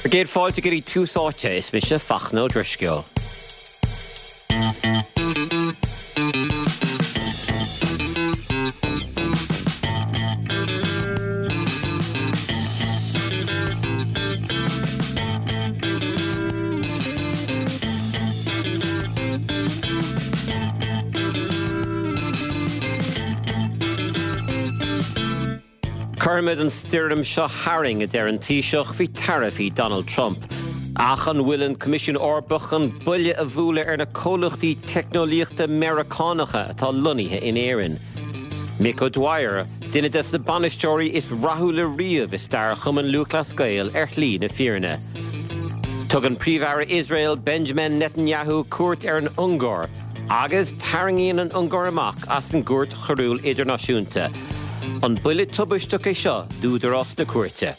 Bhur gcéad fáilte go dtí Tús Áite, is mise Fachtna Ó Drisceoil. Cuirfimid an stoirm seo tharainn, a deir an Taoiseach faoi taraifí Donald Trump. Ach an bhfuil an Coimisiún Eorpach chun buille a bhualadh ar na comhlachtaí teicneolaíochta Meiriceánacha atá lonnaithe in Éirinn? Mick O'Dwyer, duine des na bainisteoirí is rathúla riamh i stair Chumann Lúthchleas Gael ar shlí na fírinne. Tugann Príomh-Aire Iosrael Benjamin Netanyahu cuairt ar an Ungáir. Agus tarraingíonn an Ungáir amach as an gCúirt Choiriúil Idirnáisiúnta. An buille tubaisteach é seo d'údarás na cúirte?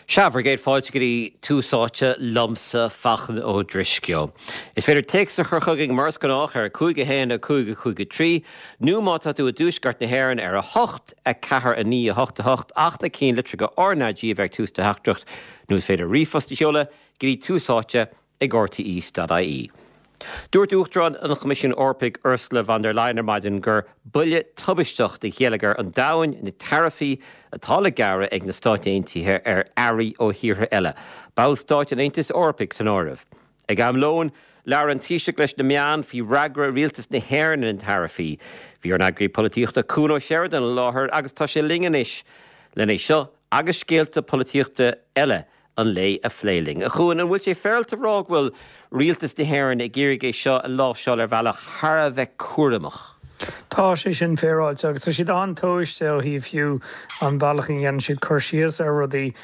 Sea, bhur gcéad fáilte go dtí Tús Áite liomsa, Fachtna Ó Drisceoil. Is féidir téacs a chur chugainn mar is gnách ar 5 1 5 5 3 nó má tá tú i dtuaisceart na hÉireann ar 8 4 9 8 8 ach na cinnlitreacha RnaG a bheith ag tús do theachtaireacht nó is féidir ríomhphost a sheoladh go dtí Tús Áite ag rte.ie. Dúirt Uachtarán an Choimisiúin Eorpaigh Ursula von der Leyen ar maidin gur buille tubaisteach do gheilleagar an domhain na taraifí atá le gearradh ag na Stáit Aontaithe ar earraí ó thíortha eile, ballstáit an Aontais Eorpaigh san áireamh. Ag am lóin, labhair an Taoiseach leis na meáin faoi fhreagra rialtas na hÉireann ar na taraifí. Bhí ár n-eagraí polaitíochta Cuan Ó Seireadáin i láthair agus tá sé linn anois len é seo agus scéalta polaitíochta eile an lae a phlé linn. A Chuain, an bhfuil sé féaráilte a rá go bhfuil rialtas na hÉireann ag iarraidh é seo a láimhseáil ar bhealach thar a bheith cúramach? Tá sé sin féaráilte agus tá siad an-tomhaiste ó thaobh fiú an bhealach a ndéanann siad cur síos ar rudaí.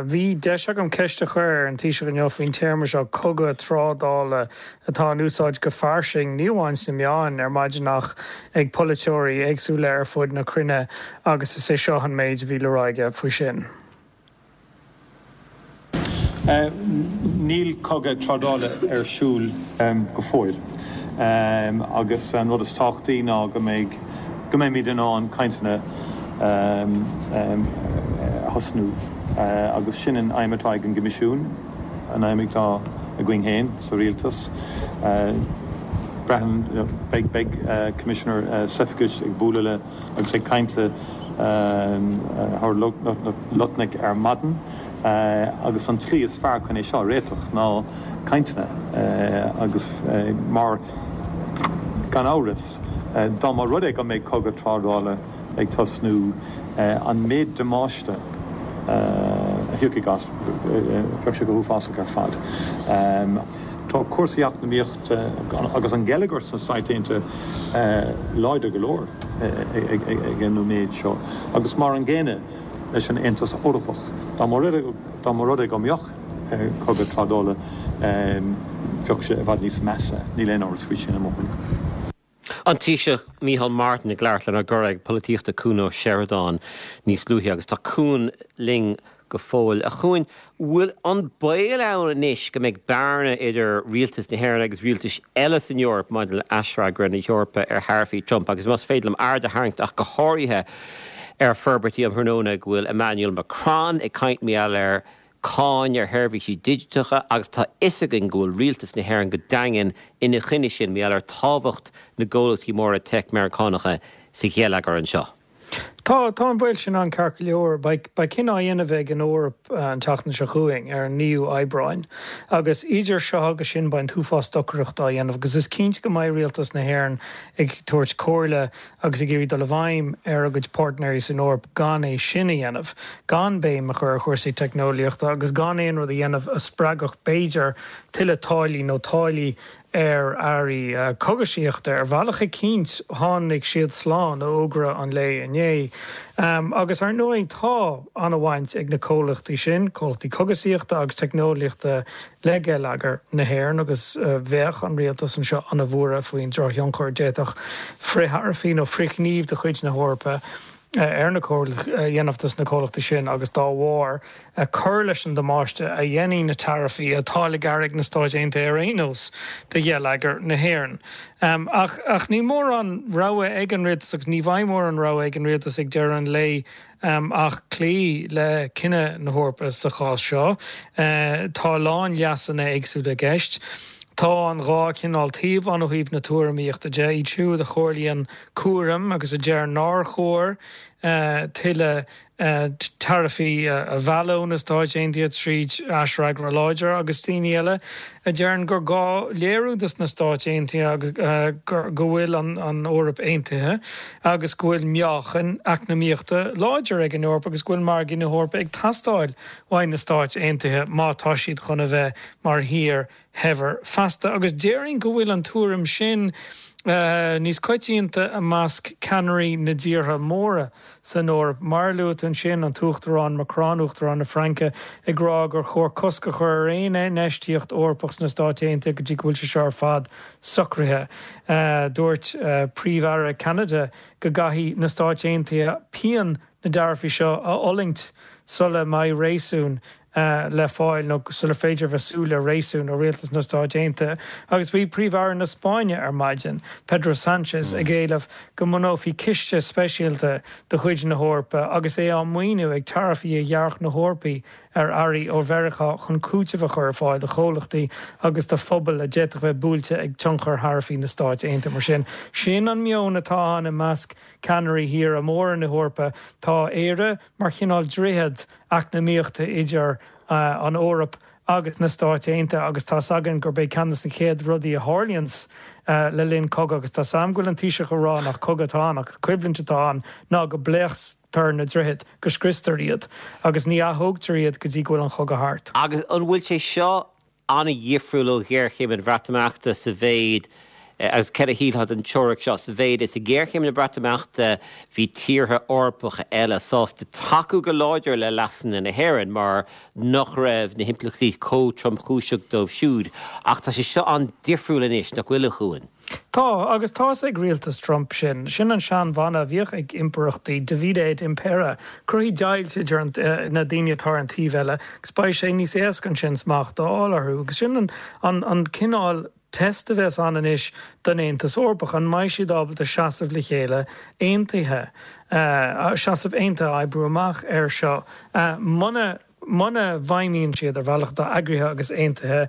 Bhí deis agam ceist a chur ar an Taoiseach inniu faoin téarma seo 'cogadh trádála' atá in úsáid go fairsing, ní amháin sna meáin ar maidin ach ag polaiteoirí éagsúla ar fud na cruinne agus is é seo an méid a bhí le rá aige faoi sin. Níl cogadh trádála ar siúl go fóill agus an rud is tábhachtaí ná go mbeidh, go mbeimid in ann cainteanna a thosnú agus sin an aidhm atá ag an gCoimisiún, an aidhm atá againn féin sa Rialtas. Braitheann, beidh, beidh Commissioner Sefcovic ag bualadh le. agus ag caint le Howard Lutnick ar maidin agus an tslí is fearr chun é seo a réiteach ná cainteanna agus mar gan amhras dá mba rud é go mbeidh cogadh trádála ag tosnú an méid damáiste a thiocfaidh as bheadh sé go huafásach ar fad. Tá cúrsaí eacnamaíochta agus an geilleagar sna Stáit Aontaithe láidir go leor ag an nóiméad seo agus mar an gcéanna leis an Aontas Eorpach. Dá mba rud é go mbeadh cogadh trádála bheadh sé i bhfad níos measa, níl aon amhras faoi sin i mo thuairim. An Taoiseach Micheál Martin ag labhairt lenár gcuraidh polaitíochta Cuan Ó Seireadáin níos luaithe agus tá Cuan linn go fóill. A Chuain, bhfuil an baol ann anois go mbeidh bearna idir rialtas na hÉireann agus rialtais eile san Eoraip maidir le haisfhreagra na hEorpa ar tharaifí Trump agus más féidir liom aird a tharraingt ach go háirithe ar forbairtí um thráthnóna go bhfuil Emmanuel Macron ag caint mar gheall ar cáin ar sheirbhísí digiteacha agus tá fhios againn go bhfuil rialtas na hÉireann go daingean ina choinne sin mar gheall ar tábhacht na gcomhlachtaí móra teic Meiriceánacha sa gheilleagar anseo. Tá, tá an baol sin ann ceart go leor. Beidh, beidh cinneadh á dhéanamh ag an Eoraip an tseachtain seo chugainn, ar an 9ú Aibreáin, agus idir seo agus sin beidh an t-uafás stocaireachta á dhéanamh agus is cinnte go mbeidh rialtas na hÉireann ag tabhairt comhairle agus ag iarraidh dul i bhfeidhm ar a gcuid páirtnéirí san Eoraip gan é sin a dhéanamh, gan béim a chur ar chúrsaí teicneolaíochta agus gan aon rud a dhéanamh a spreagfadh, b'fhéidir, tuilleadh táillí nó táillí ar earraí cogaisíochta. Ar bhealach eicínt, tháinig siad slán ó fhógra an lae inné. Agus, ar ndóigh, tá an-bhaint ag na comhlachtaí sin, comhlachtaí cogaisíochta agus teicneolaíochta, le geilleagar na hÉireann agus bheadh an rialtas anseo an-bhuartha faoin drochthionchar a d'fhéadfadh frith-tharaifí nó frithghníomh de chuid na hEorpa. ar na a dhéanamh dos na comhlachtaí sin agus dá bharr cur leis an damáiste a dhéanfaidh na taraifí atá le gearradh ag na Stáit Aontaithe ar aon nós do gheilleagar na hÉireann. Ach ach níl mórán rogha ag an rialtas agus ní bheidh mórán rogha ag an rialtas ag deireadh an lae ach cloí le cinneadh na hEorpa sa chás seo. Tá a lán leasanna éagsúla i gceist. Tá an dá chineál taobh ann ó thaobh na tuairimíochta de, iad siúd a chomhairlíonn cúram agus a deir nár chóir tuilleadh taraifí a mhealladh ó na Stáit Aontaithe tríd aisfhreagra láidir agus daoine eile a deireann gur gá léiriú dos na Stáit Aontaithe go bhfuil an Eoraip aontaithe agus go bhfuil meáchan eacnamaíochta láidir ag an Eoraip agus go bhfuil margaí na hEorpa ag teastáil uaidh na Stáit Aontaithe má tá siad chun a bheith mar thír shaibhir feasta. Agus déarfainn go bhfuil an tuairim sin níos coitianta i measc ceannairí na dtíortha móra san Eoraip. Mar a luaigh tú ansin, an tUachtarán Macron, Uachtarán na Fraince, ag rá gur chóir cosc a chur ar aon infheistíocht Eorpach sna Stáit Aontaithe go dtí go bhfuil sé seo ar fad socraithe. Dúirt Príomh-Aire Cheanada go gcaithfidh na Stáit Aontaithe pian na dtaraifí seo a fhulaingt sula mbeidh réasún le fáil nó sular féidir a bheith súil le réasún ó rialtas na Stáit Aontaithe. Agus bhí Príomh-Aire na Spáinne ar maidin, Pedro Sánchez, ag éileamh go mbunófaí ciste speisialta de chuid na hEorpa agus é á maoiniú ag taraifí a ghearrfadh na hEorpaigh ar earraí ó Mheiriceá chun cúiteamh a chur ar fáil do chomhlachtaí agus do phobail a d'fhéadfadh bheith buailte ag tionchar tharaifí na Stáit Aontaithe. Mar sin, sin an meon atá ann i measc ceannairí thíortha móra na hEorpa. Tá Éire mar chineál droichead eacnamaíochta idir an Eoraip agus na Stáit Aontaithe agus tá's againn gurb é ceann de na chéad rudaí a tharlaíonns le linn cogadh, agus tá's a'm go bhfuil an Taoiseach ag rá nach cogadh atá ann ach coimhlint atá ann, ná go bpléasctar na droichid, go scriostar iad agus ní athógtar iad go dtí go bhfuil an chogadh thart. Agus an bhfuil sé seo an-dhifriúil ó ghéarchéim an Bhreatimeachta sa mhéid, agus céard a shílfeá den teoiric seo, sa mhéid is i ngéarchéim na Breatimeachta bhí tíortha Eorpacha eile sásta tacú go láidir le leasanna na hÉireann mar nach raibh na himpleachtaí chomh tromchúiseach dóibh siúd. Ach tá sé seo an-difriúil anois, nach bhfuil, a Chuain? Tá, agus tá's ag rialtas Trump sin. Sin an sean-mhana a bhíodh ag impireachtaí, divide et impera, cruthaigh deighilt idir na daoine atá ar an taobh eile agus beidh sé níos éasca ansin smacht a fháil orthu. Agus sin an cineál test a bheas ann anois don Aontas Eorpach, an mbeidh siad ábalta seasamh le chéile aontaithe, seasamh aontaithe a oibriú amach air seo. Muna. Muna bhfeidhmíonn siad ar bhealach atá eagraithe agus aontaithe,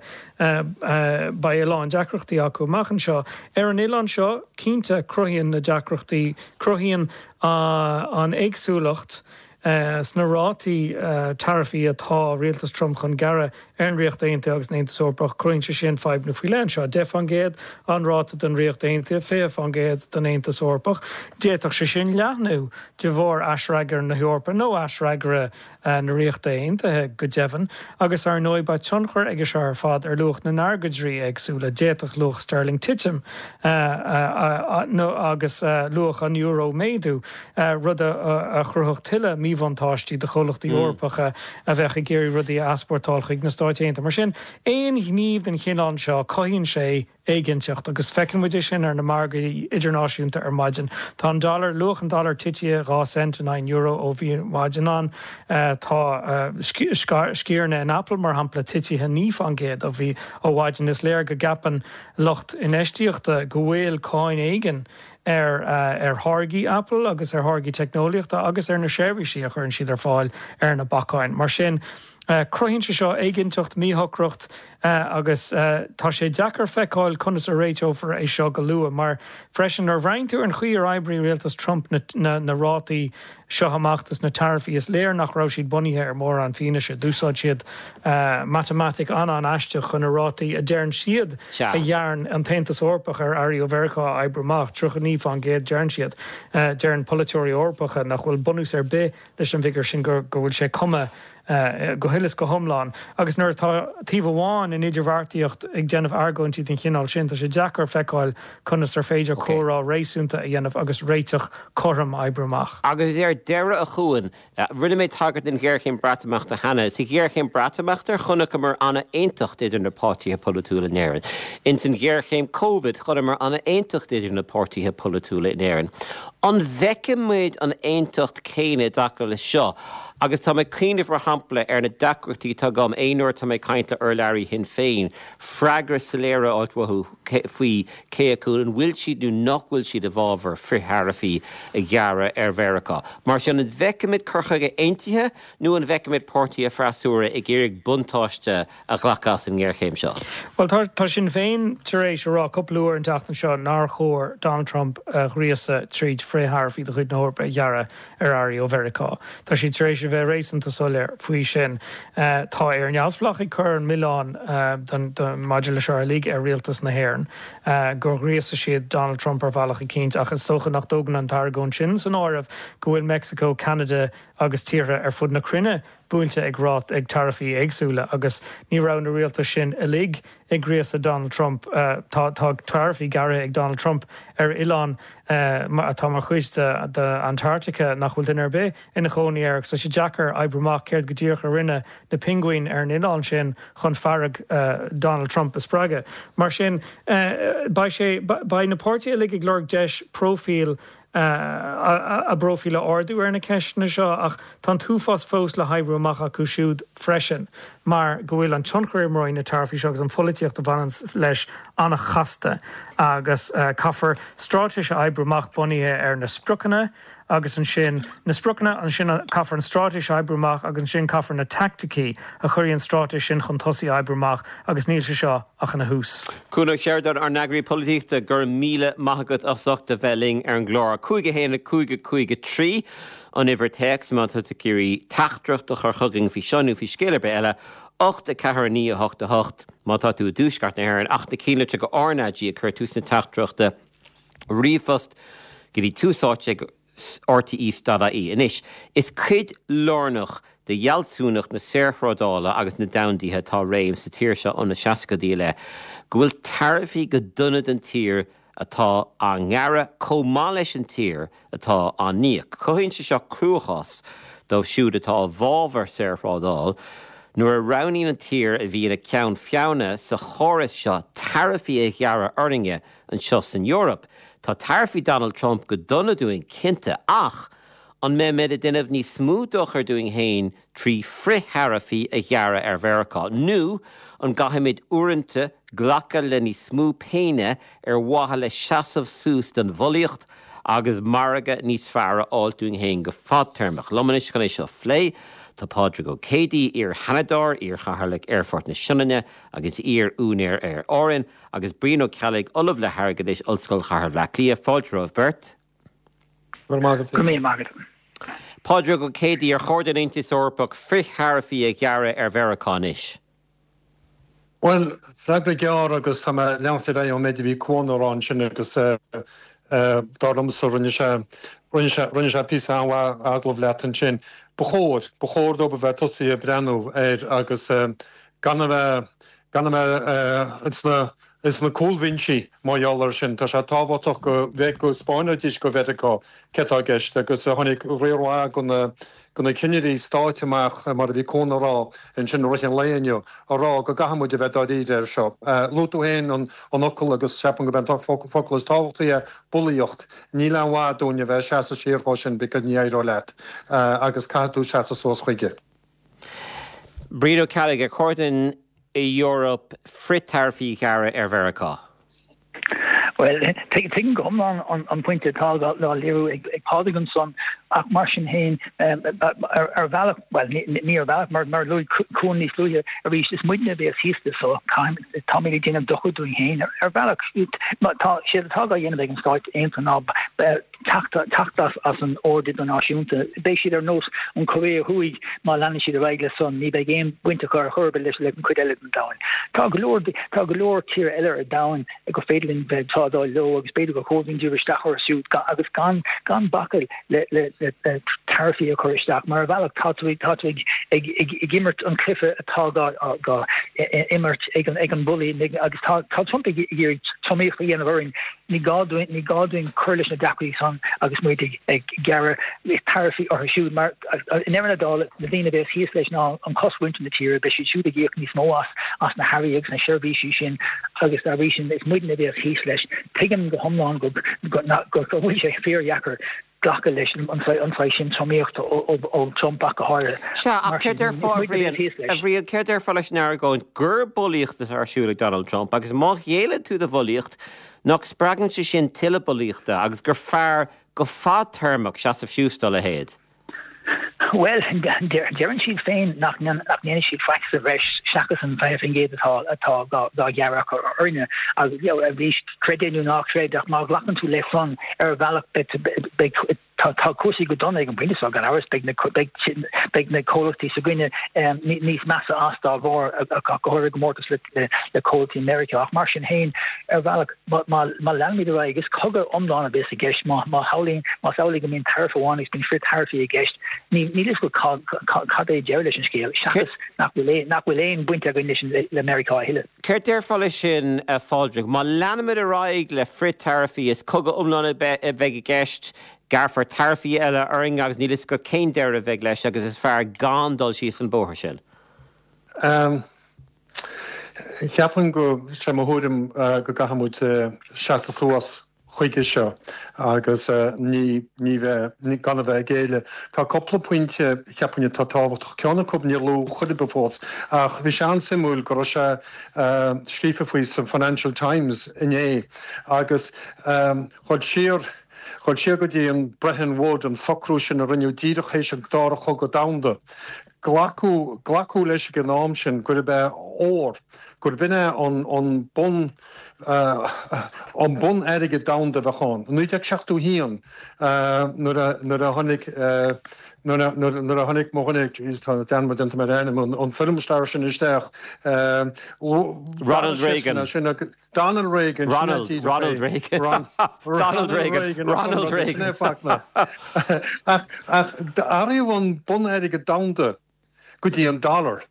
beidh a lán deacrachtaí acu amach anseo. Ar an oileán seo, cinnte, cruthaíonn na deacrachtaí, cruthaíonn an éagsúlacht sna rátaí taraifí atá rialtas Trump chun gearradh ar an Ríocht Aontaithe agus an Aontas Eorpach, cruthaíonn sé sin fadhbanna faoi leith anseo. 10% an ráta don Ríocht Aontaithe, 20% don Aontas Eorpach. D'fhéadfadh sé sin leathnú de bharr aisfhreagra na hEorpa nó aisfhreagra na Ríochta Aontaithe, go deimhin, agus ar ndóigh beidh tionchar aige seo ar fad ar luach na n-airgeadraí éagsúla. D'fhéadfadh luach sterling titim agus luach an euro méadú, rud a chruthódh tuilleadh míbhuntáistí do chomhlachtaí Eorpacha a bheadh ag iarraidh rudaí a easpórtáil chuig na Stáit Aontaithe. Mar sin, aon ghníomh den chineál seo, cothaíonn sé éiginnteacht, agus feiceann muid é sin ar na margaí idirnáisiúnta ar maidin. Tá an dollar, luach an dollair titithe 2 cent in aghaidh an euro ó bhí maidin ann. Tá sciaranna in Apple, mar shampla, titithe 9% ó bhí ó mhaidin. Is léir go gceapann lucht infheistíochta go bhfuil cáin éigin ar ar tháirgí Apple agus ar tháirgí teicneolaíochta agus ar na seirbhísí a chuireann siad ar fáil ar na bacáin. Mar sin, cruthaíonn sé seo éiginnteacht, míshocracht agus tá sé deacair feiceáil conas a réiteofar é seo go luath mar freisin nuair a bhreathnaíonn tú ar an chaoi ar oibrigh rialtas Trump na na rátaí seo amach dos na taraifí is léir nach raibh siad bunaithe ar mhórán fianaise. D'úsáid siad matamaitic an-an-aisteach chun na rátaí a deireann siad a ghearrann an tAontas Eorpach ar earraí ó Mheiriceá a oibriú amach, 39% deireann siad. Deireann polaiteoirí Eorpacha nach bhfuil bunús ar bith leis an bhfigiúr sin, go bhfuil sé cumtha go huile is go hiomlán. Agus nuair atá taobh amháin in idirbheartaíocht ag déanamh argóintí den chineál sin, tá sé deacair feiceáil conas ar féidir comhrá réasúnta a dhéanamh agus réiteach cothrom a oibriú amach. Agus ar deireadh, a Chuain, rinne mé tagairt don ghéarchéim Breatimeachta cheana. Sa ghéarchéim Breatimeachta, chonaiceamar an-aontacht idir na páirtithe polaitiúla in Éirinn. Ins an ghéarchéim Covid, chonaiceamar an-aontacht idir na páirtithe polaitiúla in Éirinn. An bhfeicfimid an aontacht céanna i dtaca le seo? Agus tá mé ag cuimhneamh, mar shampla, ar na deacrachtaí atá agam aon uair atá mé ag caint le urlabhraí Shinn Féin, freagra soiléir a fháilt uathu faoi cé acu an bhfuil siad nó nach bhfuil siad i bhfabhar frith-tharaifí a ghearradh ar Mheiriceá. Mar sin, an bhfeicfimid cur chuige aontaithe nó an bhfeicfimid páirtithe freasúra ag iarraidh buntáiste a ghlacadh as an ngéarchéim seo? Bhuel, tá Sinn Féin tar éis a rá cúpla uair an tseachtain seo nár chóir Donald Trump a ghríosadh tríd frith-tharaifí de chuid na hEorpa a ghearradh ar earraí ó Mheiriceá. Tá siad tar éis a bheith réasúnta soiléir faoi sin. Tá Éire Neamhspleách ag cur an milleán maidir le seo uilig ar rialtas na hÉireann, gur ghríosaigh siad Donald Trump ar bhealach eicínt, ach is dócha nach dtógann an t-argóint sin san áireamh go bhfuil Meicsiceo, Ceanada agus tíortha ar fud na cruinne buailte ag rát ag taraifí éagsúla agus ní raibh na rialtais sin uilig ag gríosadh Donald Trump. Tá taraifí gearrtha ag Donald Trump ar oileán atá mar chuid de Antarctica nach bhfuil duine ar bith ina chónaí air agus tá sé deacair oibriú amach céard go díreach a rinne na pinguin ar an oileán sin chun fearg Donald Trump a spreagadh. Mar sin, beidh sé, beidh na páirtithe uilig ag lorg deis próifíl a bpróifíl a ardú ar na ceisteanna seo ach tá an t-uafás fós le hoibriú amach acu siúd freisin mar go bhfuil an tionchar a imreoidh na taraifí seo agus an pholaitíocht a bhaineann leis an-chasta agus caithfear straitéis a oibriú amach bunaithe ar na spriocanna agus ansin na spriocanna, ansin caithfear an straitéis a oibriú amach agus ansin caithfear na teaicticí a chuirfidh an straitéis sin chun tosaigh a oibriú amach agus níl sé seo ach ina thús. Cuan Ó Seireadáin, ár n-eagraí polaitíochta, go raibh míle maith agat as ucht a bheith linn ar an gclár. 5 1 5 5 3 an uimhir téacs má tá tú ag iarraidh teachtaireacht a chur chugainn faoi seo nó faoi scéal ar bith eile, 8 4 9 8 8 má tá tú i dTuaisceart na hÉireann ach na cinnlitreacha RnaG ag cur tús na teachtaireachta. Ríomhphost go dtí tús áite ag rte.ie. Anois, is cuid lárnach de fhealsúnacht na saorthrádála agus na domhandaithe atá i réim sa tír seo ó na seascaidí i leith go bhfuil taraifí go dona don tír atá á ngearradh chomh maith leis an tír atá á n-íoc. Cothaíonn sé seo cruachás dóibh siúd atá i bhfabhar saorthrádáil nuair a roghnaíonn an tír a bhí ina ceann feadhna sa chóras seo taraifí a ghearradh orainne anseo san Eoraip. Tá taraifí Donald Trump go dona dúinn, cinnte, ach an mbeimid ag déanamh níos mó dochair dúinn féin trí frithtaraifí a ghearradh ar Mheiriceá? Nó an gcaithfimid uaireanta glacadh le níos mó péine ar mhaithe le seasamh suas don bhulaíocht agus margadh níos fearr a fháilt dúinn féin go fadtéarmach? Liom anois chun é seo a phlé, tá Pádraig Ó Céidigh, iar-Sheanadóir, iar-Chathaoirleach Aerfort na Sionainne agus iar-úinéir Aer Árann, Agus Brian Ó Ceallaigh, Ollamh le hAirgeadas, Ollscoil Chathair Bhaile Átha Cliath. Fáilte romhaibh beirt. Go raibh maith agat. Go raibh míle maith agat. Pádraig Ó Céidigh, ar chóir don Aontas Eorpach frith-tharaifí a ghearradh ar Mheiriceá anois? Bhuel, freagra gearr agus tá mé ag leanacht ar aghaidh ón méid a bhí Cuan a rá ansin agus dar liomsa rinne sé, rinne sé, rinne sé píosa an-mhaith agallamh leat ansin. Ba chóir, ba chóir dóibh a bheith tosaithe ag breathnú air agus gan a bheith, Gan a bheith ins na cúlbhinsí mar gheall air sin, tá sé tábhachtach go go 'spáinfidís go Mheiriceá cé tá i gceist agus tháinig riar mhaith de na cinnirí stáit amach, mar a bhí Cuan a rá ansin i rith an lae inniu, a rá go gcaithfidh muid a bheith dáiríre air seo. Luaigh tú féin an fhocal agus ceapaim gurb é an focal is tábhachtaí é, bulaíocht. Níl aon mhaith dúinn a bheith ag seasamh siar dhó sin because ní éireoidh leat agus caithfidh tú seasamh suas chuige. Brian Ó Ceallaigh, Ar chóir don Eoraip frith-taraifí a ghearradh ar Mheiriceá? Bhuel, tuigim go hiomlán an pointe atá á léiriú ag Pádraig ansan, ach mar sin féin, ar bhealach, bhuel, ní ar bhealach, mar a luaigh Cuan níos luaithe arís, is muidne a bheas thíos leis so táimid ag déanamh dochar dúinn féin. Ar bhealach, tá sé atá á dhéanamh ag an Stáit Aontaithe ná teacht as an ord idirnáisiúnta. Beidh siad ar nós an Chóiré Thuaidh má leanann siad ar aghaidh leis san, ní bheidh aon bhaint acu ar chor ar bith leis an chuid eile den domhan. Tá go leor tá go leor tíortha eile ar domhan gur féidir linn bheith ag trádáil leo agus b'fhéidir gur chóir dúinn díriú isteach orthu siúd agus gan gan bacadh le le le taraifí a chur isteach mar ar bhealach tá tú tá tú ag ag ag ag imirt an cluiche atá gá gá imirt ag an ag an bulaí agus tá tá Trump ag iarraidh tromaíocht a dhéanamh orainn. Ní gá dúinn, ní gá dúinn cur leis na deacrachtaí san agus muid ag gearradh taraifí orthu siúd mar i ndeireadh na dála, na daoine a bheas thíos leis ná an cosmhuintir na tíre, beidh siad siúd ag íoc níos mó as as na hearraí agus na seirbhísí sin agus dá bhrí sin is muidne a bheas thíos leis. Tuigim go hiomlán go go bhfuil sé fíordheacair glacadh leis an saghas sin tromaíochta ó Trump ach go háirithe. Sea, ach céard déarfá, a Bhriain, a Bhriain, céard déarfá leis an argóint gur bulaíocht atá ar siúl ag Donald Trump agus má ghéilleann tú do bhulaíocht, nach spreagann sé sin tuilleadh bulaíochta agus gur fearr go fadtéarmach seasamh suas dá leithéid? Bhuel, deireann siad féin nach ndéanfaidh siad faic sa bhreis seachas an 20% atá atá dá ghearradh acu orainne. Agus you know, arís, creid é nó ná creid, ach má ghlacann tú leis san, ar bhealach beidh tá tá cúrsaí go dona ag an bpointe seo, gan amhras, beidh na beidh beidh na comhlachtaí s'againne níos measa as dá bharr, go háirithe i gcomórtas le le comhlachtaí Meiriceá. Ach mar sin féin, ar bhealach, Má leanaimid ar aghaidh, is cogadh iomlán a bheas i gceist. Má shamhlaíonn, más amhlaidh go mbíonn taraif amháin agus bíonn frith-taraifí i gceist, níl fhios agat cad é deireadh leis an scéal, seachas nach bhfuil nach bhfuil aon bhaint againn leis le Meiriceá a thuilleadh. Céard déarfá leis sin, a Phádraig? Má leanaimid ar aghaidh le frith-taraifí, is cogadh iomlán a bheidh i gceist, gearrfar taraifí eile orainn agus níl fhios agat cén deireadh a bheidh leis agus is fearr gan dul síos an bóthar sin. Cheapfainn go, sé mo thuairim go gcaithfidh muid seasamh suas chuige seo agus ní, ní bheith, gan a bheith ag géilleadh. Tá cúpla pointe cheapfainn atá tábhachtach. Ceann acu níor luadh chor ar bith fós ach bhí sé an-suimiúil go raibh sé scríofa faoi sa Financial Times inné agus dhul siar, dhul siar go dtí an Bretton Woods, an socrú sin a rinneadh díreach théis an Dara Chogadh Domhanda. Glacadh, glacadh leis ag an am sin gurb é ór, gurb in é an, an bun, an bun-airgead domhanda a bheadh ann. I 1971 nuair a, nuair a tháinig, nuair a, nuair a tháinig mo dhuine, jeez tá dearmad déanta agam ar a ainm, an, an film star sin isteach, Ronald Reagan. Sin é, Donald Reagan, sin é Ronald, díreach Ronald é. Reagan. Ron, Donald Ronald Reagan, Reagan a Ronald chum sin Reagan. é Fachtna. Ach, ach d'athraíodh an bun-airgead domhanda go dtí an dollar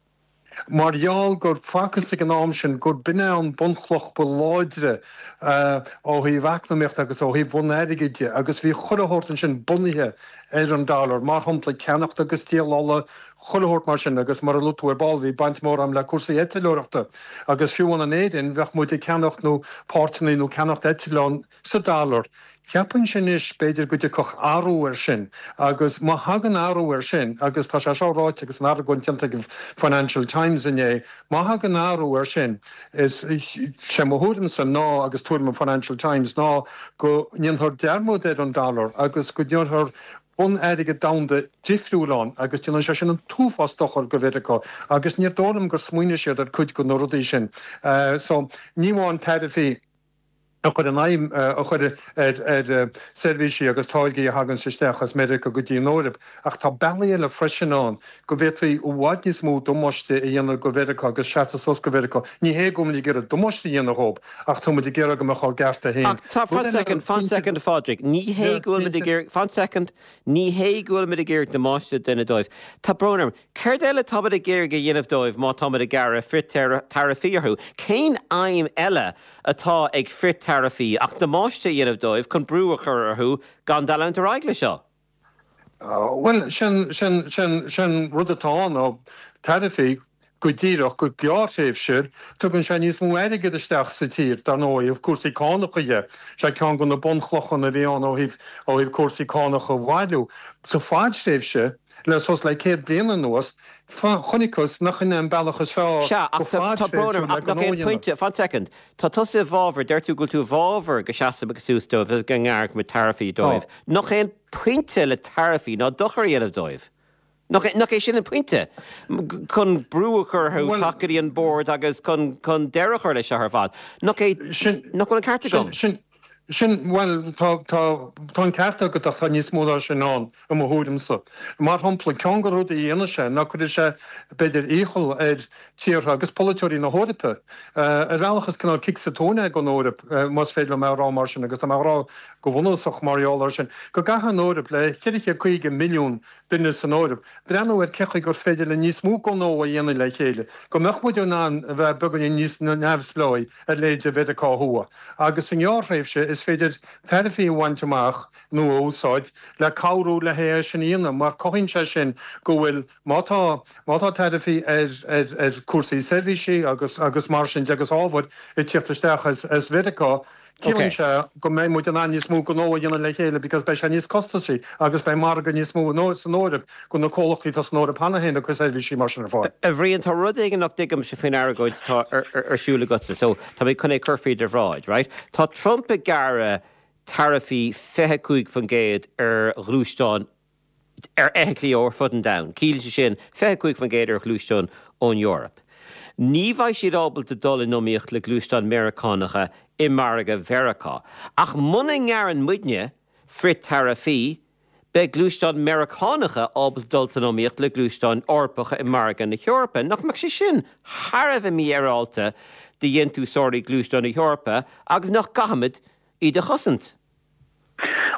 mar gheall gur facthas ag an am sin gur b'in é an bunchloch ba láidre ó thaobh eacnamaíochta agus ó thaobh bhun-airgid de agus bhí chuile shórt ansin bunaithe ar an dollar, mar shampla ceannacht agus díol ola, chuile shórt mar sin agus mar a luaigh tú ar ball bhí baint mhór a'm le cúrsaí eitleoireachta agus fiú amháin in Éirinn bheadh muid ag ceannacht nó páirteanna nó ceannacht eitleán sa dollar. Cheapfainnse anois b'fhéidir go dtiocfadh athrú air sin agus má thagann athrú air sin agus tá sé seo ráite agus an argóint déanta ag an Financial Times inné, má thagann athrú air sin is sé mo thuairimse ná agus tuairim an Financial Times ná go ndéanfar dearmad ar an dollar agus go ndéanfar bun-airgead domhanda difriúil ann agus déanann sé sin an t-uafás dochair go Mheiriceá agus níor dóigh liom gur smaoinigh siad ar cuid de na rudaí sin. So, ní amháin taraifí a chur in aidhm, a chur ar ar seirbhísí agus táirgí a thaganns isteach as Meiriceá go dtí an Eoraip ach tá bealaí eile freisin ann go bhféadfaí i bhfad níos mó damáiste a dhéanamh go Mheiriceá agus seasamh suas go Mheiriceá. Ní hé go bhfuil muid ag iarraidh damáiste a dhéanamh dhóibh ach tá muid ag iarraidh go mbeadh ár gcearta féin. Ach tá, fan soicind, fan soicind a Phádraig, ní hé go bhfuil muid ag iarraidh, fan soicind, ní hé go bhfuil muid ag iarraidh damáiste a dhéanamh dóibh. Tá brón orm. Céard eile atá muid ag iarraidh a dhéanamh dóibh má tá muid ag gearradh frith-taraifí orthu? Cén aidhm eile atá ag frith-taraifí ach damáiste a dhéanamh dóibh chun brú a chur orthu gan leanúint ar aghaidh le seo? Bhuel, sin, sin, sin, sin rud atá ann ná taraifí go díreach, go gearrthréimhse, tugann sé níos mó airgead isteach sa tír, dar ndóigh, ó thaobh cúrsaí cánacha dhe. Sé ceann de na bunchlocha a bhí ann ó thaobh, ó thaobh cúrsaí cánach a bhailiú. Sa fadtréimhse, le suas le 100 bliain anuas, chonacthas nach in é an bealach is fearr Sea, go ach tá, tá brón orm, fadtréimhsiúil le ach nach gnó é a an dhéanamh. pointe, fan soicind, tá tusa i bhfabhar, deir tú go bhfuil tú i bhfabhar go seasfaidh suas dóibh agus go ngearrfaidh muid taraifí Tá. dóibh. Nach é an pointe le taraifí ná dochar a dhéanamh dóibh? Nach é, nach é sin an pointe? Chun brú a chur orthu Bhuel, teacht go dtí an bord agus chun, chun deireadh a chur leis seo ar fad. Nach é, sin, nach bhfuil an ceart sin, agam? sin, sin, bhuel, tá, tá, tá an ceart agat ach tá níos mó ná sin ann, i mo thuairimse. Mar shampla, ceann de na rudaí a dhéanfaidh sé ná cuirfidh sé, b'fhéidir, iachall ar tíortha agus polaiteoirí na hEorpa, ar bhealach is cineál cic sa tóin é don Eoraip, más féidir liom é a rá mar sin, agus tá mé á rá go bunúsach mar gheall air sin, go gcaithfidh an Eoraip, le 450 milliún duine san Eoraip, breathnú ar cén chaoi gur féidir linn níos mó gnó a dhéanamh le chéile, go mbeadh muid in ann a bheith beagáinín níos neamhspleáí ar leithéid de Mheiriceá Thuaidh. Agus sa ngearrthréimhse, is. is féidir taraifí a bhaint amach nó a úsáid le cabhrú le hé sin a dhéanamh mar cothaíonn sé sin go bhfuil, má tá, má tá taraifí ar, ar, ar cúrsaí seirbhísí agus, agus mar sin de agus ábhair ag tíocht isteach as, as Mheiriceá, ciallaíonn sé go mbeidh muid in ann níos mó gnó a dhéanamh le chéile because beidh sé níos costasaí agus beidh margadh níos mó san Eoraip do na comhlachtaí atá san Eoraip cheana féin ag cur seirbhísí mar sin ar fáil. A Bhriain, tá rud éigin nach dtuigimse faoin argóint atá ar siúl agatsa, so tá mé chun é cur faoi do bhráid, right? Tá Trump ag gearradh taraifí 25% ar ghluaisteáin ar fheithiclí ó ar fud an domhain. Ciallaíonn sé sin 25% ar ghluaisteáin ón Eoraip. Ní bheidh siad ábalta dul in iomaíocht le gluaisteáin Meiriceánacha i margadh Mheiriceá. Ach muna ngearrann muidne frith-taraifí, beidh gluaisteáin Meiriceánacha ábalta dul san iomaíocht le gluaisteáin Eorpacha i margadh na hEorpa. Nach mbeadh sé sin thar a bheith mífhéaráilte do dhéantúsóirí gluaisteán na hEorpa agus nach gcaithfimid iad a chosaint?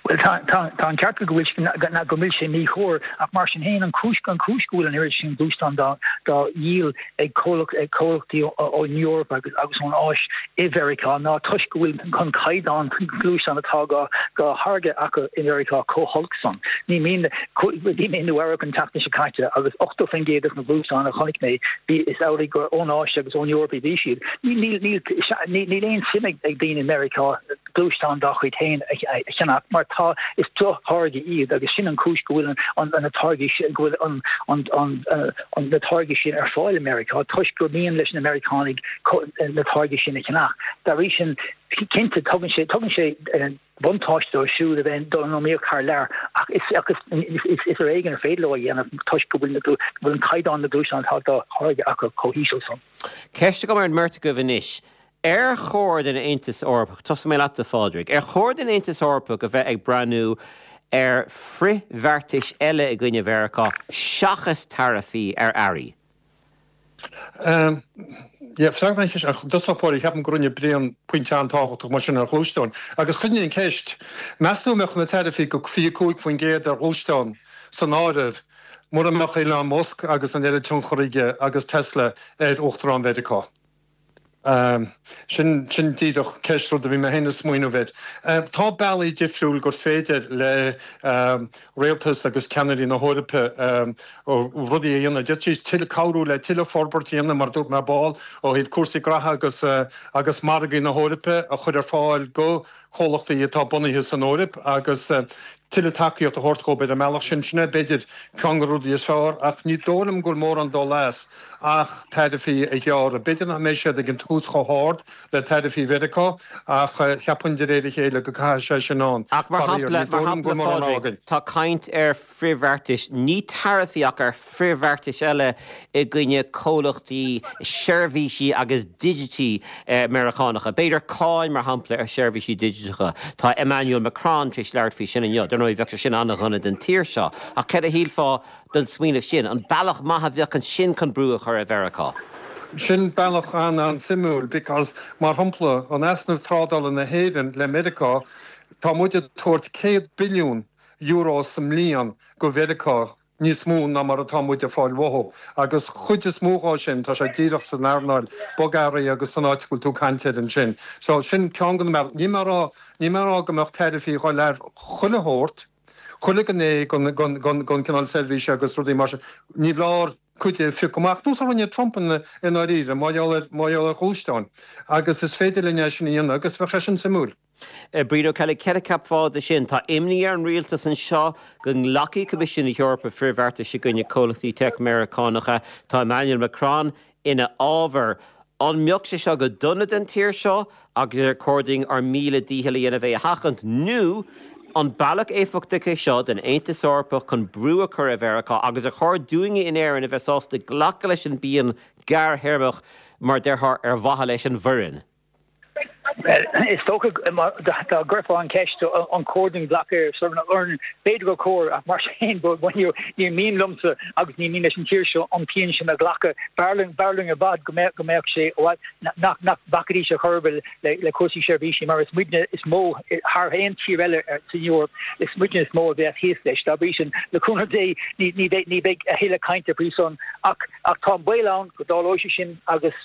Bhuel, tá, tá, tá an ceart agat go bhfuil, go bhfuil sé míchóir, ach mar sin féin, an chúis, an chúis go bhfuil an oiread sin gluaisteán dá, dá dhíol ag comhlacht, ag comhlachtaí ón Eoraip agus, agus ón Áis i Mheiriceá ná toisc go bhfuil an caighdeán gluaisteán atá dhá, dhá tháirgeadh acu i Meiriceá chomh holc san. Ní mian, bhí mé i Nua Eabhrac an tseachtain seo caite agus 80% de na gluaisteáin a chonaic mé, bhí, is amhlaidh gur ón Áis agus ón Eoraip a bhí siad. Níl, níl, níl, níl aon suim ag, ag daoine i Meiriceá gluaisteáin dá chuid féin a cheannach mar tá, is drochtháirgí iad agus sin an chúis go bhfuil an na táirgí sin, go bhfuil an an na táirgí sin ar fáil i Meiriceá toisc gur mian leis na Meiriceánaigh na táirgí sin a cheannach. Dá bhrí sin, cinnte, tugann sé, tugann sé buntáiste dóibh siúd a bheith ag dul in iomaíocht thar lear ach is is is ar éigean ar féidir leo a dhéanamh toisc go bhfuil go bhfuil an caighdeán na gluaisteán atá dá tháirgeadh acu chomh híseal san. Ceist agam ar an mbeirt agaibh anois. Ar chóir don Aontas Eorpach, tosóidh mé leatsa a Phádraig, ar chóir don Aontas Eorpach a bheith ag breathnú ar frithbheartais eile i gcoinne Mheiriceá seachas taraifí ar earraí? Yeah, freagra an cheist, ach i dtosach báire, ceapaim go rinne Brian pointe an-tábhachtach mar sin ar ghluaisteáin. Agus chuir an cheist, meas tú an mbeadh na taraifí go 25% ar ghluaisteáin san áireamh mura mbeadh Elon Musk agus an oiread tionchar aige agus Tesla ar Uachtarán Mheiriceá? Sin, sin díreach ceist, rud a bhí mé féin ag smaoineamh air. Tá bealaí difriúil gur féidir le rialtas agus ceannairí na hEorpa rudaí a dhéanamh. D'fhéadfaidís tuilleadh, cabhrú le tuilleadh forbairt a dhéanamh, mar a dúirt mé ar ball, ó thaobh cúrsaí graithe agus, agus margaí na hEorpa a chur ar fáil go comhlachtaí atá bunaithe san Eoraip agus tuilleadh tacaíocht a thabhairt dhóibh ar an mbealach sin. Sin é, b'fhéidir, ceann de na rudaí is fearr, ach ní dóigh liom go bhfuil mórán dul as ach taraifí a ghearradh. B'fhéidir nach mbeidh siad ag an tús chomh hard le taraifí Mheiriceá, ach cheapfainn de réir a chéile go gcaithfidh sé sin ann. Ach mar shampla, mar shampla, Phádraig, tá caint ar frithbheartais, ní taraifí ach ar frithbheartais eile i gcoinne comhlachtaí seirbhísí agus digití Meiriceánacha. B'fhéidir cáin, mar shampla, ar sheirbhísí digiteacha. Tá Emmanuel Macron tar éis labhairt faoi sin inniu. Dar ndóigh, bheadh sé sin an-dhona don tír seo. Ach céard a shílfeá den smaoineamh sin? An bealach maith a bheadh ansin chun brú a chur ar Mheiriceá? Sin bealach an-an-suimiúil because, mar shampla, an easnamh trádála na hÉireann le Meiriceá, tá muid ag tabhairt 100 billiún euro sa mbliain go Mheiriceá, níos mó ná mar atá muid ag fáil uathu. Agus chuid is mó dhó sin, tá sé díreach san earnáil bogearraí agus san áit go bhfuil tú ag caint air ansin. So, sin ceann de na bealaí. Níl mé ag rá, níl mé ag rá go mbeadh taraifí ag dhul ar chuile shórt, chuile ghné den, den, den, den cineál seirbhíse agus rudaí mar sin. Ní foláir cuid a phiocadh amach, nós a rinne Trump i ndáiríre, mar gheall ar, mar gheall ar ghluaisteáin. Agus is féidir linn é sin a dhéanamh agus bheadh sé sin suimiúil. Brian Ó Ceallaigh, céard a cheapfá de sin? Tá imní ar an rialtas anseo go nglacfaidh Coimisiún na hEorpa frithbheartais i gcoinne comhlachtaí teic Meiriceánacha. Tá Emmanuel Macron ina fhábhar. An mbeadh sé seo go dona don tír seo agus ar chóir dúinn ár míle dícheall a dhéanamh é a sheachaint nó an bealach éifeachtach é seo don Aontas Eorpach chun brú a chur ar Mheiriceá agus ar chóir dúinne in Éirinn a bheith sásta glacadh leis an bpian ghearrthéarmach mar déarfá ar mhaithe leis an bhfoireann? Bhuel, is dócha dá gcuirfeá an cheist an cóir dúinn glacadh ar son an fhoireann, b'fhéidir gur chóir, ach mar sin féin, ní mian liomsa agus ní mian leis an tír seo an pian sin a ghlacadh. B'fhearr linn, b'fhearr linn i bhfad go mbeadh, go mbeadh sé, nach, nach bhfacfaidís ar chor ar bith le, le cúrsaí seirbhísí mar is muidne is mó, thar aon tír eile san Eoraip, is muidne is mó a bheas thíos leis. Dá bhrí sin, le cúnamh Dé, ní, ní bheidh, ní bheidh a thuilleadh cainte faoi san ach, ach tá an baol ann go dtarlóidh sé sin agus,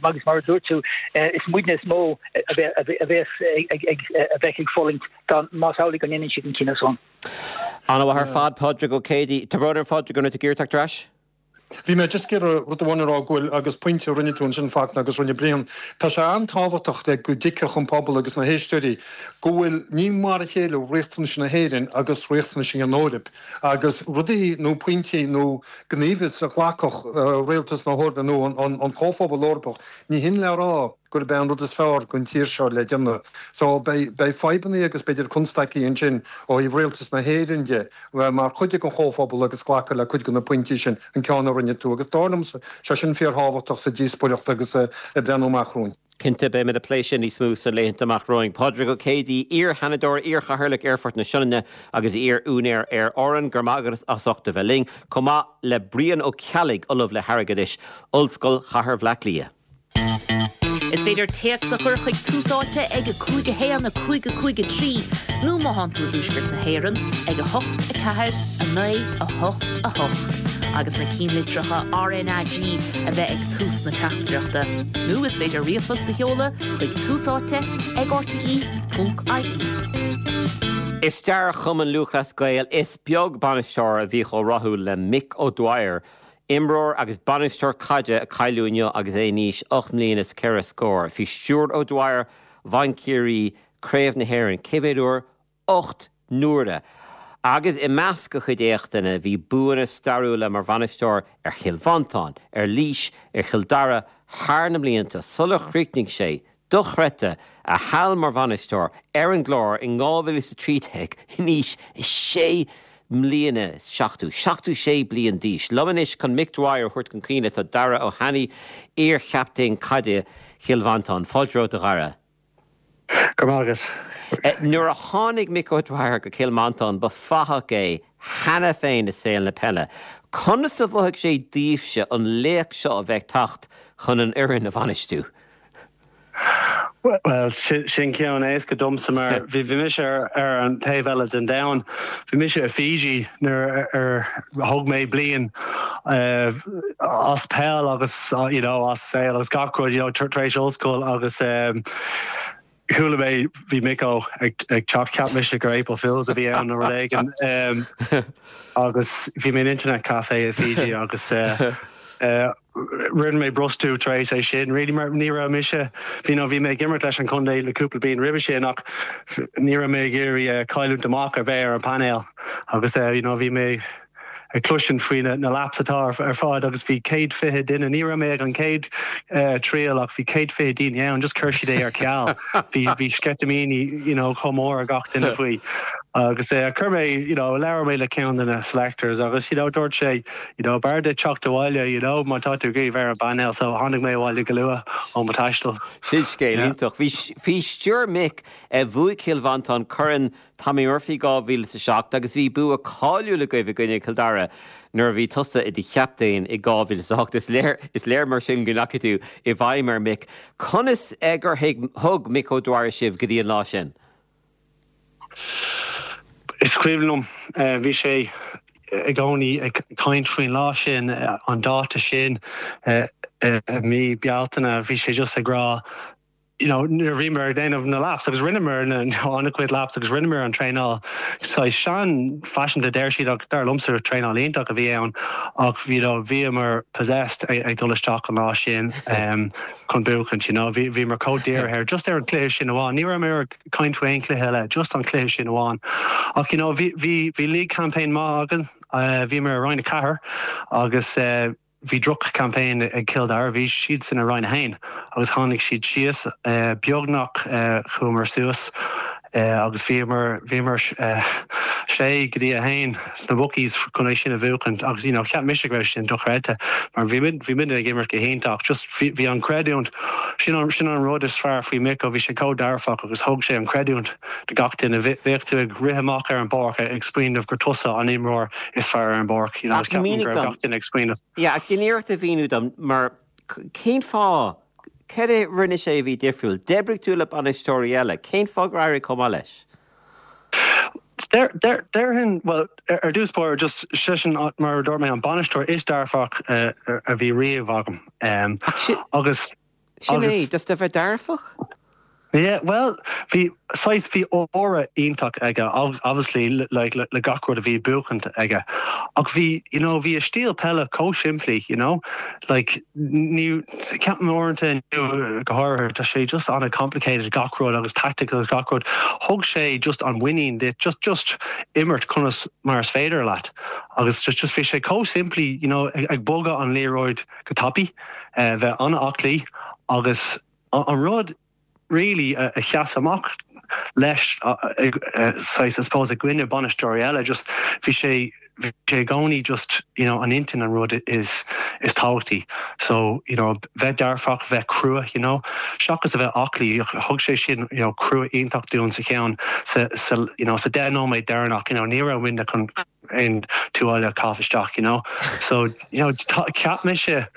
agus mar a dúirt tú, is muidne is mó. a bheas a bheith ag fulaingt dá más amhlaidh go ndéanann siad an cinneadh san. An-mhaith ar fad, Pádraig Ó Céidigh. Tá brón orm, Phádraig, an raibh tú ag iarraidh teacht ar ais? Bhí mé just ag iarraidh rud amháin a rá go bhfuil, agus pointe a rinne tú ansin Fachtna agus rinne Brian, tá sé an-tábhachtach le go dtuigfeadh an pobal agus na héisteoirí go bhfuil, ní mar a chéile riachtanais na hÉireann agus riachtanais an Eoraip agus rudaí nó pointí nó gníomhas a ghlacfadh rialtas na hEorpa nó an Comhphobal Eorpach, ní hin le rá gurb é an rud is fearr don tír seo le déanamh. So beidh fadhbanna agus b'fhéidir constaicí ansin ó thaobh rialtas na hÉireann de bheith mar chuid den Chomhphobal agus glacadh le cuid de na pointí sin, an ceann a rinne tú. Agus dar liomsa, sé sin fíorthábhachtach sa díospóireacht agus ag breathnú amach romhainn. Cinnte, beimid ag plé sin níos mó sna laethanta amach romhainn. Pádraig Ó Céidigh, iar-Sheanadóir, iar-Chathaoirleach Aerfort na Sionainne agus iar-úinéir Aer Árann, go raibh maith agat as ucht a bheith linn, chomh maith le Brian Ó Ceallaigh, Ollamh le hAirgeadais, Ollscoil Chathair Bhaile Átha Cliath. Is féidir téacs a chur chuig Tús Áite ag 5 1 5 5 3 nó má thánn tú i dtuaisceart na hÉireann ag 8 4 9 8 8 agus na cinnlitreacha RnaG a bheith ag tús na teachtaireachta. Nó is féidir ríomhphost a sheoladh chuig Tús Áite ag rte.ie. I stair Chumann Lúthchleas Gael, is beag bainisteoir a bhí chomh rathúil le Mick O'Dwyer. Imreoir agus bainisteoir caide a cailleadh inniu agus é in aois 8 mbliana is ceithre scór. Faoi stiúir O'Dwyer, bhain Ciarraí Craobh na hÉireann, cé mhéad uair? 8 n-uaire! Agus i measc a chuid éachtanna bhí buanna stairiúla mar bhainisteoir ar Chill Mhantáin, ar Laois, ar Chill Dara thar na mblianta sular chríochnaigh sé dochreidte, a sheal mar bhainisteoir ar an gClár in 2013 in aois sé mbliana is 70, 76 bliain d'aois. Liom anois chun Mick Dwyer a thabhairt chun cuimhne tá Dara Ó hAnnaidh, iar-chaptaen caide Chill Mhantáin. Fáilte romhat a Dhara. Go raibh maith agat. Nuair a tháinig Mick O'Dwyer go Cill Mhantáin ba fathach é cheana féin i saol na peile. Conas a mhothaigh sé daoibhse an laoch seo a bheith ag teacht chun an fhoireann a bhainistiú? Bhuel, sin ceann éasca domsa mar bhí mise ar an taobh eile den domhan. Bhí mise i Fiji nuair ar thóg mé bliain as peil agus you know as saol agus gach rud you know tar éis ollscoil agus chuala mé bhí Micko ag teacht, cheap mise gur April Fools a bhí ann nó rud éigin agus bhí mé in internet cafe i Fiji agus Rinne mé brostú tar éis é sin, really, mar ní raibh mise, you know, bhí mé ag imirt leis an chontae le cúpla bliain roimhe sin ach ní raibh mé ag iarraidh cailliúint amach ar bheith ar an painéal agus you know, bhí mé ag cloisint faoi na laps atá ar fad agus bhí 120 duine, ní raibh mé ag an chéad triail ach bhí 120 daoine ann, just chuir siad é ar ceal. Bhí bhí sceitimíní you know, chomh mór ar gach duine faoi. Agus chuir mé, you know, labhair mé le ceann de na selectors agus you know, dúirt sé, You know, b'fhearr duit teacht abhaile, you know, má tá tú ag iarraidh bheith ar an bpainéal, so tháinig mé abhaile go luath ó mo thaisteal. Sin scéal iontach. Bhí, faoi stiúir Mick, bhuaigh Cill Mhantáin Corn Tommy Murphy 2007 agus bhí bua cáiliúil agaibh i gcoinne Chill Dara nuair a bhí tusa i do chaptaen i 2008. Is léir, is léir mar sin go ndeachaigh tú i bhfeidhm ar Mick. Conas gur thug Mick O'Dwyer sibh go dtí an lá sin? Is cuimhin liom, bhí sé i gcónaí ag caint faoin lá sin, an dáta sin i mí Bealtaine, bhí sé just ag rá, you know, nuair a bhíomar ag déanamh na laps agus rinneamar an-chuid laps agus rinneamar an traenáil saghas sean-fhaiseanta deir siad ach dar liomsa traenáil iontach a bhí ann ach you know, bhíomar possessed ag dul isteach an lá sin chun buachaint, you know, bhíomar chomh dírithe ar just ar an chluiche sin amháin. Ní raibh mé caint faoi aon chluiche eile, just an cluiche sin amháin. Ach you know bhí bhí bhí league campaign maith againn, bhíomar i Roinn 4 agus bhí droch campaign ag Cill Dara, bhí siadsan i Roinn 1 agus tháinig siad síos, beagnach chuamar suas agus bhíomar bhíomar sé go dtí 1 sna bookies chun é sin a bhuachaint agus you know cheap mise go raibh sin dochreidte mar bhí muid bhí muid ag imirt go hiontach just bhí bhí an creidiúint Sin an sin an rud is fearr faoi Micko, bhí sé chomh dearfach agus thug sé an creidiúint do gach duine. Bheadh tú ag rith amach ar an bpáirc ag smaoineamh gur tusa an imreoir is fearr ar an bpáirc, you know, agus ceapaim go raibh gach duine ag smaoineamh. Yeah, ach déan iarracht a mhíniú dom mar cén fáth, cad é a rinne sé a bhí difriúil? D'oibrigh tú le bainisteoirí eile, cén fáth gur éirigh chomh maith leis? Déarfainn, bhuel, ar dtús báire, just seisean, mar a dúirt mé, an bainisteoir is dearfach a bhí riamh agam. Agus. Sin é, just a bheith dearfach? Yeah, bhuel, bhí, saghas, bhí aura iontach aige, obviously, like, le gach rud a bhí buachant aige. Ach bhí, you know, bhí a stíl peile chomh simplí, you know, like, ní, ceapaim uaireanta inniu go háirithe, tá sé just an-complicated gach rud agus tactical agus gach rud. Thug sé just an muinín duit, just, just imirt conas mar is féidir leat. Agus just, just bhí sé chomh simplí, you know, ag bogadh an liathróid go tapaidh, bheith an-aclaí agus, An rud really a sheas amach leis, saghas, I suppose, i gcoinne bainisteoirí eile, just bhí sé, bhí sé i gcónaí just, you know, an intinn an rud is, is tábhachtaí. So, you know, bheith dearfach, bheith crua, you know, seachas a bheith aclaí, thug sé sin, you know, crua iontach dúinn sa cheann, sa, sa, you know, sa 10 nóiméad deireanach, you know, ní raibh muidne chun aon tuáille a chaitheamh isteach, you know. So, you know, cheap mise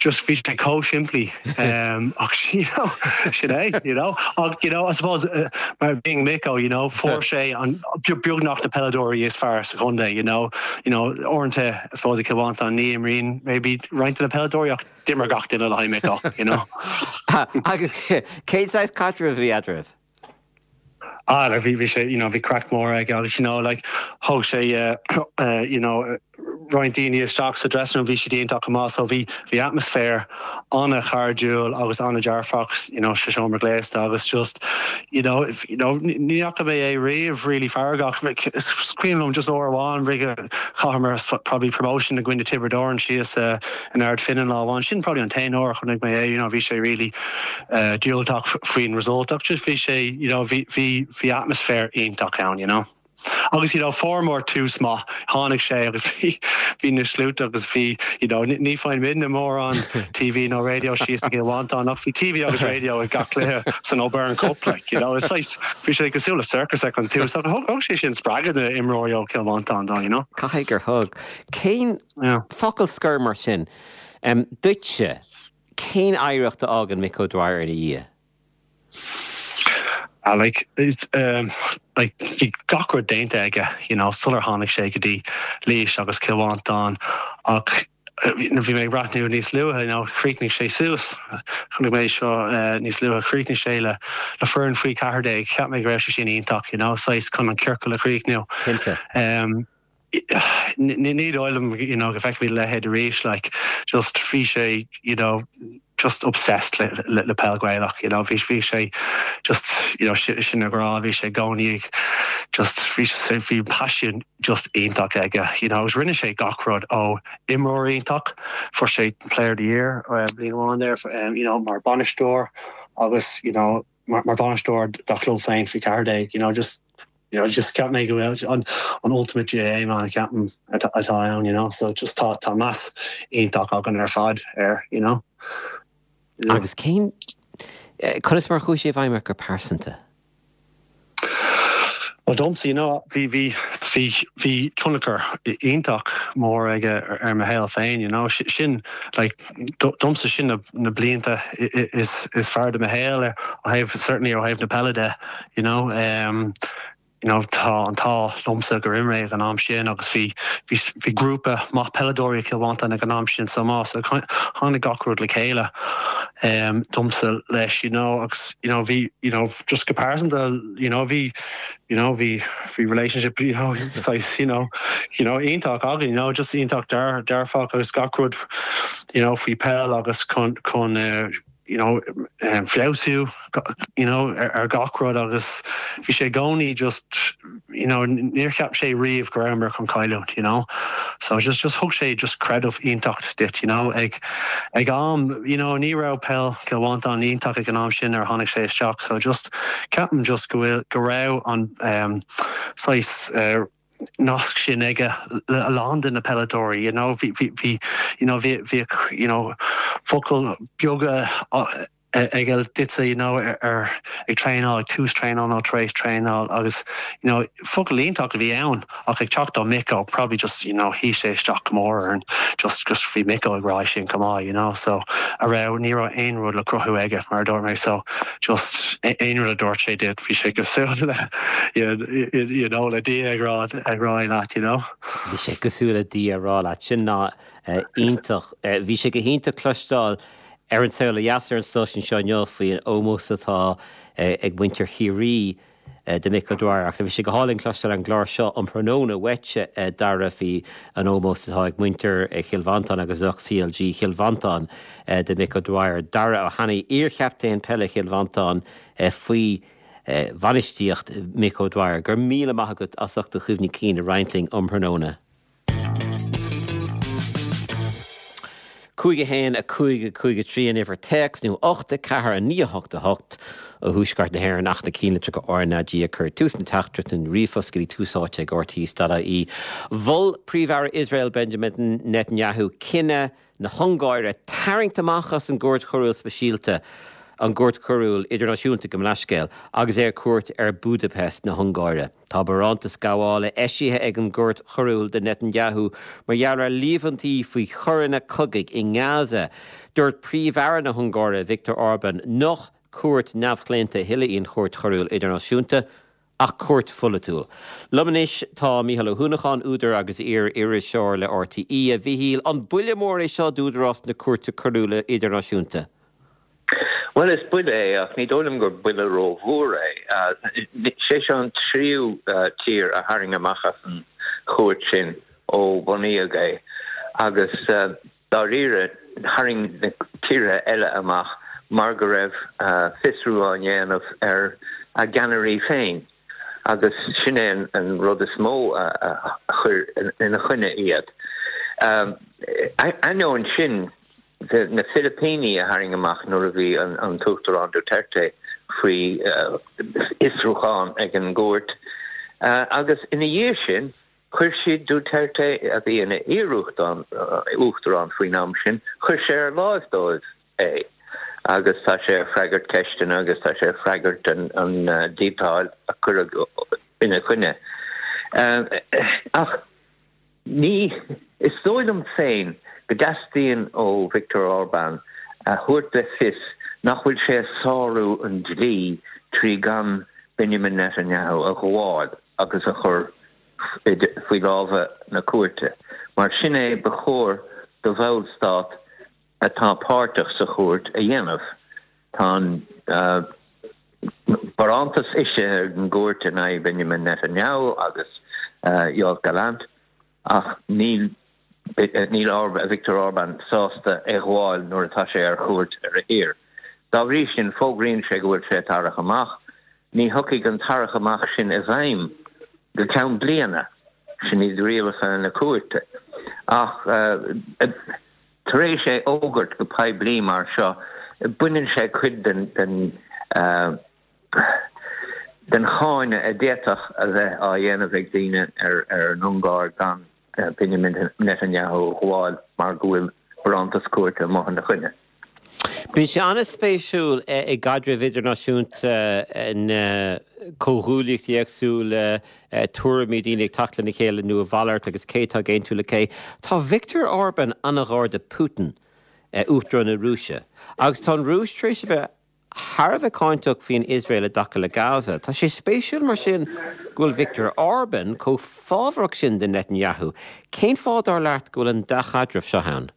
just bhí sé chomh simplí um, ach you know, sin é, you know. Ach, you know, I suppose uh, mar being Micko, you know, fuair sé an beagnach na peileadóirí is fearr sa chontae, you know. You know, uaireanta, I suppose i Cill Mhantáin ní imríonn maybe roinnt de na peileadóirí ach d'imir gach duine le haghaidh Micko, you know. Agus cén saghas caidrimh a bhí eadraibh? Ah like bhí bhí sé you know bhí craic mór aige agus you know like thóg sé eh you know roinnt daoine isteach sa dressing room bhí siad iontach go maith so bhí bhí atmaisféar an-chairdiúil agus an-dearfach you know sa seomra gléasta agus just you know you know ní fhaca mé é riamh really feargach is cuimhin liom just uair amháin roimhe chailleamar probably promotion i gcoinne Tiobraid Árann síos in Ard Finnin lá amháin sin probably an t-aon uair a chonaic mé é you know bhí sé really diúltach faoin result ach just bhí sé you know bhí bhí bhí atmaisféar iontach ann you know. Agus you know fuaireamar tús maith tháinig sé agus bhí bhí na sluaite agus bhí you know ní faigheann muidne mórán TV nó radio síos i gCill Mhantáin ach bhí TV agus radio ag gach cluiche san O'Byrne Cup like you know is saghas bhí sé cosúil le circus ag an tús ach thug thug sé sin spreagadh na imreoirí ó Chill Mhantáin dó you know. Caithfidh gur thug. Cén focal scoir mar sin duitse? Cén oidhreacht a fhágann Mick O'Dwyer ina dhiaidh? Ah like it's um like bhí gach rud déanta aige you know sular tháinig sé go dtí Laois agus Cill Mhantáin ach bhí mé ag breathnú níos luaithe you know chríochnaigh sé suas chonaic mé seo níos luaithe chríochnaigh sé le le foireann faoi 14 cheap mé go raibh sé sin iontach you know saghas chun an ciorcal a chríochnú. Cinnte. Um ní dóigh liom you know go bhfeicfimid a leithéid arís like just bhí sé you know just obsessed le le le peil Gaelach you know bhí bhí sé just you know sin a ghrá bhí sé i gcónaí ag just bhí sé bhí paisean just iontach aige you know agus rinne sé gach rud ó imreoir iontach fuair sé player of the year bliain amháin there you know mar bainisteoir agus you know mar bainisteoir dá chlub féin faoi 14 you know just you know just cheap mé go bhfuil an an ultimate GAA man ceapaim atá ann you know so just tá tá meas iontach againn ar fad air you know. Agus cén conas mar a chuaigh sé i bhfeidhm ort go pearsanta? Well domsa you know bhí bhí bhí bhí tionchar iontach mór aige ar mo shaol féin you know sin like domsa sin na na blianta is is fearr de mo shaol ar ó thaobh certainly ó thaobh na peile de you know um you know tá an t-ádh liomsa gur imir mé ag an am sin agus bhí bhí bhí grúpa maith peileadóirí i Cill Mhantáin ag an am sin chomh maith so tháinig gach rud le chéile um domsa leis you know agus you know bhí you know just go pearsanta you know bhí you know bhí bhí relationship you know saghas you know you know iontach againn you know just iontach dear dearfach agus gach rud you know faoi peil agus chun chun eh, you know um, feabhsú you know ar, ar gach rud agus bhí sé i gcónaí just you know níor cheap sé riamh go rabhamar chun cailliúint you know so just just thug sé just creideamh iontach duit you know ag ag am you know ní raibh peil Cill Mhantáin iontach ag an am sin nuair a tháinig sé isteach so just ceapaim just go bhfuil go raibh an um, saghas uh, nasc sin aige le a lán de na peileadóirí you know bhí bhí bhí you know bhí bhí you know focail beaga aige duitse you know ar ag traenáil ag tús traenáil nó tar éis traenáil agus you know focal iontach a bhí ann ach ag teacht ó Micko probably just you know shuigh sé isteach go mór orainn just just bhí Micko ag rá sin chomh maith you know so a raibh ní raibh aon rud le cruthú aige mar a dúirt mé so just aon rud a dúirt sé duit bhí sé cosúil le you know le Dia ag rá ag rá leat you know. Bhí sé cosúil le Dia ag rá leat sin ná iontach. Bhí sé go hiontach cloisteáil. Ar an Saol Ó Dheas ar an stáisiún seo inniu faoin ómós atá ag muintir Chiarraí do Mick O'Dwyer ach bhí sé go hálainn cloisteáil ar an gclár seo um thráthnóna uait, a Dara, faoi an ómós atá ag muintir Chill Mhantáin agus lucht CLG Chill Mhantáin do Mick O'Dwyer. Dara Ó hAnnaidh, iar-chaptaen peile Chill Mhantáin faoi bhainistíocht Mick O'Dwyer. Go raibh míle maith agat as ucht do chuimhní cinn a roinnt linn um thráthnóna. 5 1 5 5 3 an uimhir téacs nó 8 4 9 8 8 ó thuaisceart na hÉireann ach na cinnlitreacha RnaG a chur ag tús na teachtaireachta nó ríomhphost go dtí tús áite ag rte.ie. Mhol Príomh-Aire Iosrael Benjamin Netanyahu cinneadh na hUngáire tarraingt amach as an gCúirt Choiriúil Speisialta, an gCúirt Choiriúil Idirnáisiúnta, gabh mo leithscéal, agus é ar cuairt ar Budapest na hUngáire. Tá barántas gabhála eisithe ag an gCúirt Choiriúil do Netanyahu mar gheall ar líomhaintí faoi choireanna cogaidh i nGaza. Dúirt Príomh-Aire na hUngáire, Viktor Orban, nach cúirt neamhchlaonta a thuilleadh í an Chúirt Choiriúil Idirnáisiúnta, ach cúirt pholaitiúil. Liom anois tá Mícheál Ó hUanacháin, údar agus iar-iriseoir le RTÉ. A Mhíchíl, an buille mór é seo d'údarás na Cúirte Coiriúla Idirnáisiúnta? Bhuel, is buille é, ach ní dóigh liom gur buille rómhór é. Sé seo an tríú tír a tharraing amach as an chúirt sin ó bunaíodh é, agus dáiríre, tharraing na tíortha eile amach mar go raibh fiosrú á ndéanamh ar a gceannairí féin, agus sin é an rud is mó a chuir ina choinne iad. Ainneoin sin, na Filipíní a tharraing amach nuair a bhí an tUachtarán Duterte faoi fhiosrúchán ag an gcúirt, agus ina dhiaidh sin, chuir siad Duterte, a bhí ina iar-uachtarán faoin am sin, chuir sé ar láimh dóibh é agus tá sé ag freagairt ceisteanna agus tá sé ag freagairt an díotáil a cuireadh ina choinne. Ach ní, is dóigh liom féin go dteastaíonn ó Viktor Orbán a thabhairt le fios nach bhfuil sé ag sárú an dlí trí gan Benjamin Netanyahu a ghabháil agus a chur faoi lámha na cúirte, mar sin é ba chóir do bhallstát atá páirteach sa chúirt a dhéanamh. Tá an barántas eisithe ag an gcúirt in aghaidh Benjamin Netanyahu agus Yoav Gallant ach níl níl Viktor Orban sásta é a ghabháil nuair atá sé ar chuairt ar a thír. Dá bhrí sin, fógraíonn sé go bhfuil sé ag tarrac amach. Ní thiocfaidh an tarrac amach sin i bhfeidhm go ceann bliana, sin iad rialacha na cúirte. Ach tar éis é fhógairt go poiblí mar seo, baineann sé cuid den den cháineadh a d'fhéadfadh a bheith á dhéanamh ag daoine ar an Ungáir gan Benjamin Netanyahu a ghabháil mar go bhfuil barántas cúirte amuigh ina choinne. Bíonn sé an-spéisiúil i gcaidreamh idirnáisiúnta na comhghuaillíochtaí éagsúla, tuairimí daoine ag teacht lena chéile nó a mhalairt agus cé atá ag aontú le cé. Tá Viktor Orban an-ghar do Putin, Uachtarán na Rúise, agus tá an Rúis tar éis a bheith thar a bheith cáinteach faoin Iosrael i dtaca le Gaza. Tá sé spéisiúil mar sin go bhfuil Viktor Orban chomh fábharach sin do Netanyahu. Cén fáth, dar leat, go bhfuil an dea-chaidreamh seo ann?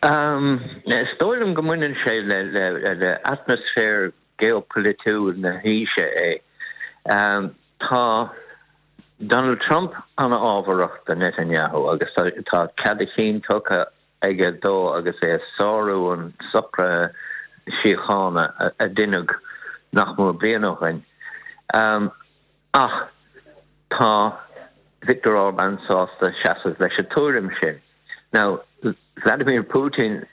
Is dóigh liom go mbaineann sé le atmaisféar geopolaitiúil na haoise é. Tá Donald Trump an-fhábharach do Netanyahu agus tá cead a chinn tugtha aige dó agus é ag sárú an socraithe síochána a deineadh nach mór bliain ó shin. Ach tá Viktor Orban sásta seasamh leis an tuairim sin. Now, Vladimir Putin,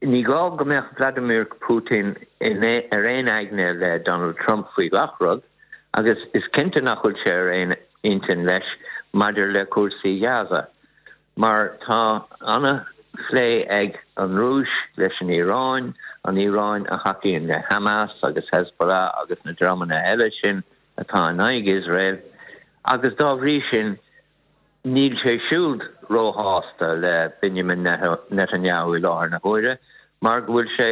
ní gá go mbeadh Vladimir Putin ar aon aigne le Donald Trump faoi gach rud, agus is cinnte nach bhfuil sé ar aon intinn leis maidir le cúrsaí Ghaza. Mar tá ana-phlé ag an Rúis leis an Iaráin, an Iaráin a thacaíonn le Hamas agus Hezbollah agus na dreamanna eile sin atá in aghaidh Iosrael, agus dá bhrí sin níl sé siúd róshásta le Benjamin Netanyahu i láthair na huaire mar go bhfuil sé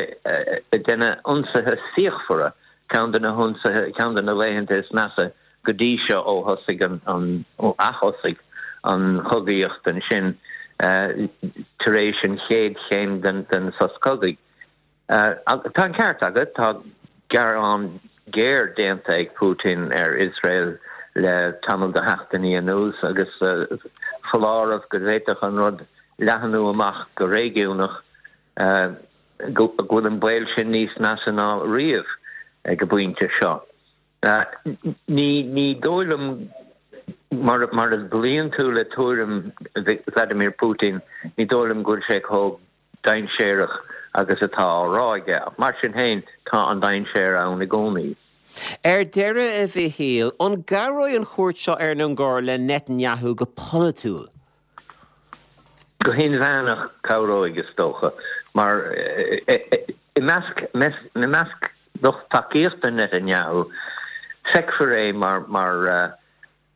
ag déanamh ionsaithe fíochmhara, ceann de na hionsaithe, ceann de na laethanta is measa go dtí seo ó thosaigh an, ó athosaigh an chogaíocht ansin. tar éis an chéad chéim den sos cogaidh. Tá an ceart agat, tá gearán géar déanta ag Putin ar Iosrael le tamall de sheachtainí anuas agus foláireamh go bhféadfadh an rud leathnú amach go réigiúnach, go bhfuil an baol sin níos measa ná riamh ag an bpointe seo. Ní dóigh liom, mar a gcloíonn tú le tuairim Vladimir Putin, ní dóigh liom go bhfuil sé chomh dainséarach agus atá á rá aige, ach mar sin féin, tá an dainséar ann i gcónaí. Ar deireadh, a Mhichíl, an gcabhróidh an chuairt seo ar an Ungáir le Netanyahu go polaitiúil? Go hinmheánach, cabhróidh, is dócha, mar i measc i measc lucht tacaíochta Netanyahu, feicfear é mar mar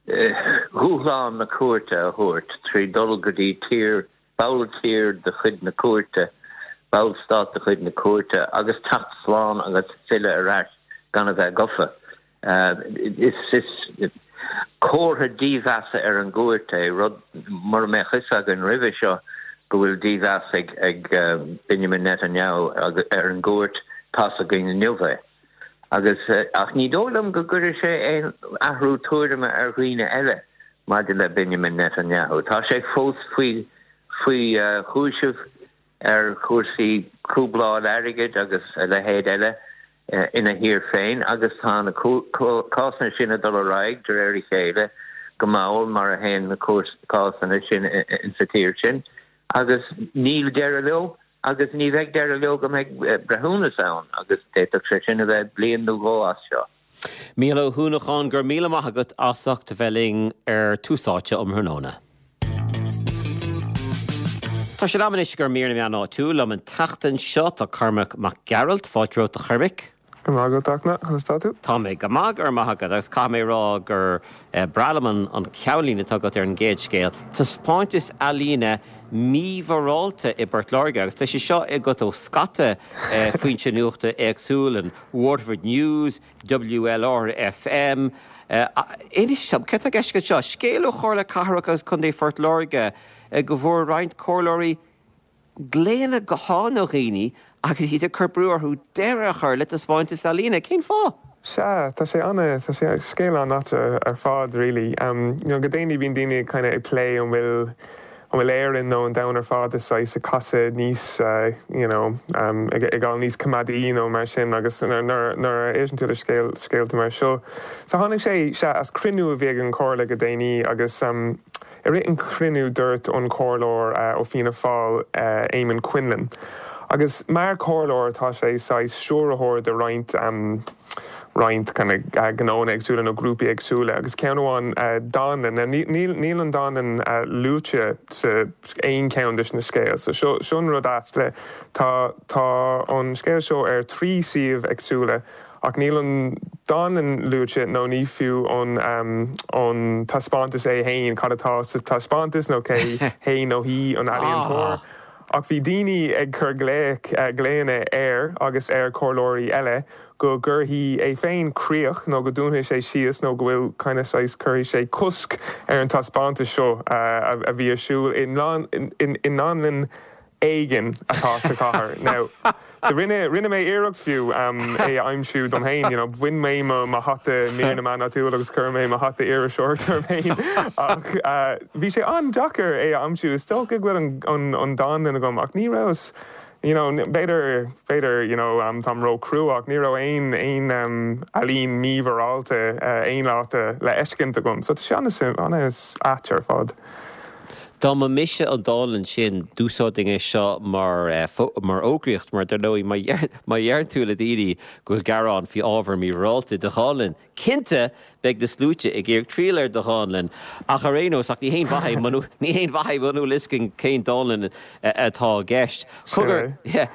dhúshlán na cúirte a thabhairt trí dul go dtí tír balltír de chuid na cúirte, ballstát de chuid na cúirte, agus teacht slán agus filleadh ar ais gan a bheith gofa. Is comhartha dímheasa ar an gcúirt é, rud mura mbeadh fhios againn roimhe seo go bhfuil dímheas ag Benjamin Netanyahu ar an gcúirt, tá's againn inniu é. Agus, ach ní dóigh liom go gcuirfidh sé aon athrú tuairime ar dhaoine eile maidir le Benjamin Netanyahu. Tá sé fós faoi faoi chúiseamh ar chúrsaí cúbláil airgid agus a leithéid eile ina thír féin agus tá na cásanna sin ag dul ar aghaidh de réir a chéile go mall mar a théann na cásanna sin insa tír sin agus níl deireadh leo. Agus ní bheidh deireadh leo go mbeidh breithiúnas ann, agus d'fhéadfadh sé sin a bheith bliain nó dhó as seo. Mícheál Ó hUanacháin, go raibh míle maith agat as ucht a bheith linn ar Tús Áite um thráthnóna. Tá sé in am anois i gcomhair mír na meán áitiúil. Liom an tseachtain seo tá Cormac Mac Gearailt. Fáilte romhat a Chormaic. Go raibh maith agat, Fhachtna. Conas tá tú? Tá mé go maith, go raibh maith agat, agus caithfidh mé a rá gur breá liom an ceannlíne atá agat ar an gcéad scéal, Taispeántas ealaíne mímhorálta i bPort Láirge, agus tá sé seo agat ó scata foinse nuachta éagsúil, an Waterford News, WLR FM. Inis dom, céard tá i gceist agat anseo? Scéal ó Chomhairle Cathrach agus Contae Phort Láirge go bhfuair roinnt comhairleoirí glaonna gutháin ó dhaoine agus iad ag cur brú orthu deireadh a chur le taispeántas ealaíne. Cén fáth? Sea, tá sé ana, tá sé scéal an-ait ar fad really. You know, go déanaí bíonn daoine kind of ag plé an bhfuil, an bhfuil Éirinn nó an domhan ar fad is saghas ag casadh níos you know, ag ag dul níos coimeádaí nó mar sin agus nuair nuair a éisteann tú le scéal, scéalta mar seo. So tháinig sé, sea, as cruinniú a bhí ag an Chomhairle go déanaí agus I rith an chruinniú dúirt an comhairleoir ó Fianna Fáil, Eamon Quinlan, agus mar chomhairleoir tá sé saghas stiúrthóir de roinnt roinnt kind of gnóanna éagsúla nó grúpaí éagsúla agus ceann amháin dánlann. Now níl níl an dánlann luaite sa aon cheann de na scéal so seo seo an rud ait le tá tá an scéal seo ar thrí suíomh éagsúla Ach níl an dánlann luaite nó ní fiú an an taispeántas é fhéin, cad atá sa taispeántas nó cé hé nó hí an ealaíontóir. Ach bhí daoine ag cur glaoch, glaonna air agus ar chomhairleoirí eile go gcuirfidh é féin críoch nó go dúnfaidh sé síos nó go bhfuil kind of saghas cuirfidh sé cosc ar an taispeántas seo a bhí ar siúl i ndánlann éigin atá sa chathair. Now, rinne, rinne mé iarracht fiú é a aimsiú dom fhéin, you know, bhain mé mo, mo hata mír na meán áitiúil agus chuir mé mo hata iriseoireachta orm fhéin ach bhí sé an-deacair é a aimsiú. Is dócha go bhfuil an, an, an dánlann agam ach ní rabhas, you know, b'fhéidir, b'fhéidir, you know, táim ró-chrua ach ní raibh aon, aon ealaín mímhorálta aon áit le feiscint agam. So tá sé an-suim, an-ait ar fad. Dá mba mise an dánlann sin, d'úsáidfinn é seo mar mar fhógraíocht, mar dar ndóigh, má má dheireann tú le daoine go bhfuil gearán faoi ábhar mímhorálta i do dhánlann, cinnte beidh na sluaite ag iarraidh triall ar do dhánlann. Ach ar aon nós, ach ní haon mhaith é muna ní haon mhaith é muna bhfuil fhios againn cén dánlann atá i gceist. Cogar, yeah,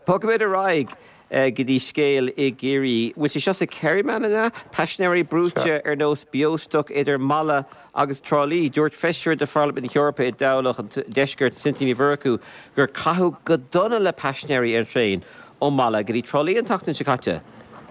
bogfaimid ar aghaidh. go dtí scéal i gCiarraí. Bhfuil sé seo sa Kerryman, an ea? Paisinéirí brúite ar nós beostoc idir Mala agus Trá Lí. Dúirt feisire de Pharlaimint na hEorpa i dtoghlach an Deiscirt, Cynthia Ní Mhurchú, gur caitheadh go dona le paisinéirí ar an traein ó Mala go dtí Trá Lí an tseachtain seo caite.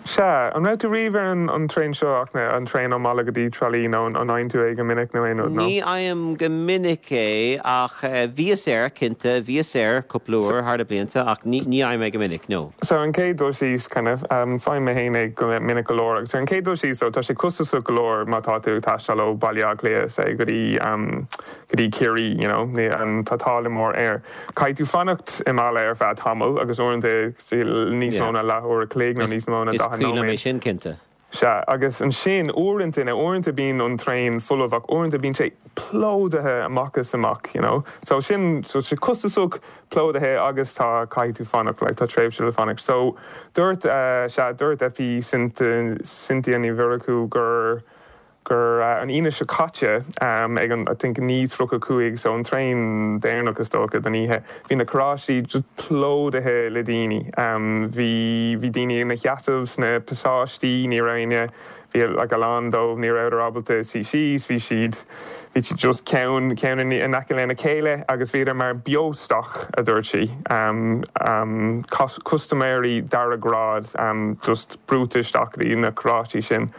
Sea, an raibh tú riamh ar an traein seo, a Fhachtna, an traein ó Mala go dtí Trá Lí, nó an fhaigheann tú é go minic nó aon rud, nó? Ní fhaighim go minic é, ach bhíos air, cinnte, bhíos air cúpla uair thar na blianta, ach ní fhaighim é go minic, no. So, ar an chéad dul síos, kind of, faighim mé féin é go minic go leor, agus ar an chéad dul síos, though, tá sé costasach go leor má tá tú ag taisteal ó Bhaile Átha Cliath, say, go dtí, go dtí Ciarraí, you know, ní, tá táille mór air. Caithfidh tú fanacht i Mala ar feadh tamaill, agus uaireanta, níos mó ná leathuair a chloig nó níos mó ná 40 nóiméad. Is cuimhin liom é sin, cinnte. Sea, agus ansin, uaireanta, now uaireanta bíonn an traein folamh ach uaireanta bíonn sé plódaithe amach is amach, you know. So sin, so tá sé costasach, plódaithe agus tá, caithfidh tú fanacht, like tá tréimhse le fanacht. So dúirt, sea, dúirt FP Cynthia Ní Mhurchú gur, gur an Aoine seo caite, ag an, I think, 9:35, so an traein deireanach is dócha den oíche, bhí na carráistí just plódaithe le daoine. Bhí, bhí daoine ina sheasamh sna pasáistí, ní raibh éinne, bhí like a lán dóibh, ní rabhadar ábalta suí síos, bhí siad, bhí siad just ceann, ceann in aice lena chéile agus bhíodar mar beostoc, a dúirt sí. Custaiméirí dara grád just brúite isteach go dtí na carráistí sin.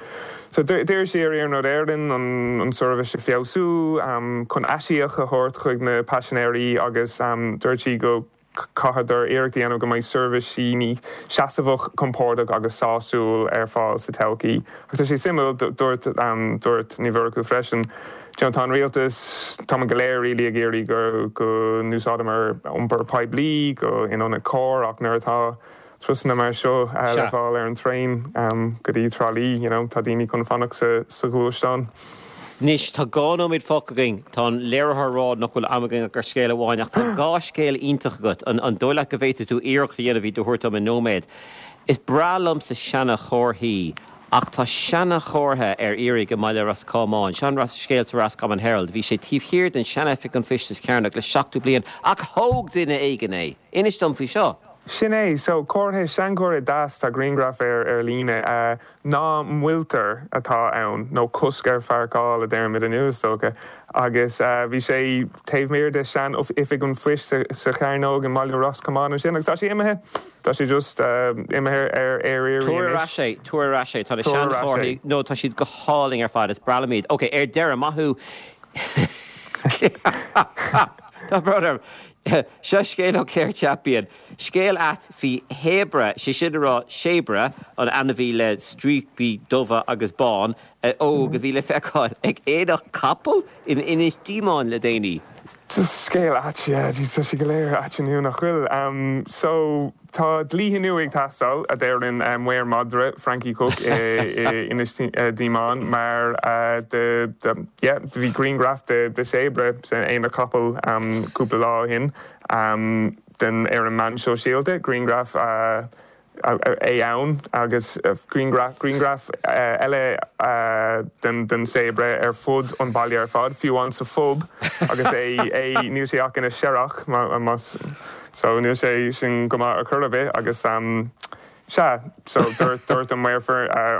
So d'iarr sí ar Iarnród Éireann an seirbhís a feabhsú chun aisíoc a thabhairt chuig na paisinéirí agus dúirt sí go caithfear iarracht a dhéanamh go mbeidh seirbhísí níos seasamhach, compordach agus sásúil ar fáil sa todhchaí. Agus tá sé suimiúil, dúirt dúirt Ní Mhurchú freisin, you know tá an rialtas, táimid go léir really ag iarraidh go go n-úsáideamar iompar poiblí go in ionad carr ach nuair atá Turasanna mar seo le fáil ar an traein go dtí Trá Lí, you know, tá daoine chun fanacht sa ghluaisteán. Anois, tá 2 nóiméad fágtha againn. Tá an léiritheoir ag rá nach bhfuil am againn ach ar scéal amháin, ach tá 2 scéal iontach agat. An dóigh leat go bhféadfaidh tú iarracht a dhéanamh iad a thabhairt dom i nóiméad? Is breá liomsa seana-chomharthaí, ach tá seana-chomhartha ar iarraidh i mbaile Ros Comáin. Seo an scéal sa Roscommon Herald. Bhí sé taobh thiar den sean-oifig an phoist sa Chearnóg le 70 bliain, ach thóg duine éigin é! Inis dom faoi seo. Sin é. So, comhartha, seanchomhartha deas, tá grianghraf air ar líne. Ná moilltear atá ann, nó cosc ar pháirceáil a deirimid inniu, is dócha. Agus bhí sé taobh thiar de sean-oifig an phoist sa Chearnóg i mbaile Ros Comáin ansin agus tá sé imithe. Tá sé just imithe ar ar iarraidh Tabhair ar ais é, tabhair ar ais é. Tá na seanchomharthaí, no, tá siad go hálainn ar fad, is breá liom iad. Ok, ar deireadh, maith thú. Tá brón orm. Seo scéal ó Clare Champion. Scéal ait faoi shéabra, sé sin a rá séabra, an ainmhí le stríopaí dubha agus bán, óg a bhí le feiceáil ag aonach capall in Inis Díomáin le déanaí. Just scéal ait, yeah, jeez, tá sé go léir ait inniu, nach bhfuil? So, tá dlíthe nua ag teastáil, a deireann maor madra, Frankie Cooke i Inis Díomáin, mar de, de, yeah, bhí grianghraf de de séabra san aonach capall cúpla lá ó shin den ar an meán sóisialta, grianghraf é ann agus grianghraf grianghraf eile den den séabra ar fud an baile ar fad, fiú amháin sa phub agus é é níl sé ach ina searrach más so níl sé sin go maith ar chor ar bith agus sea so dúirt dúirt an maor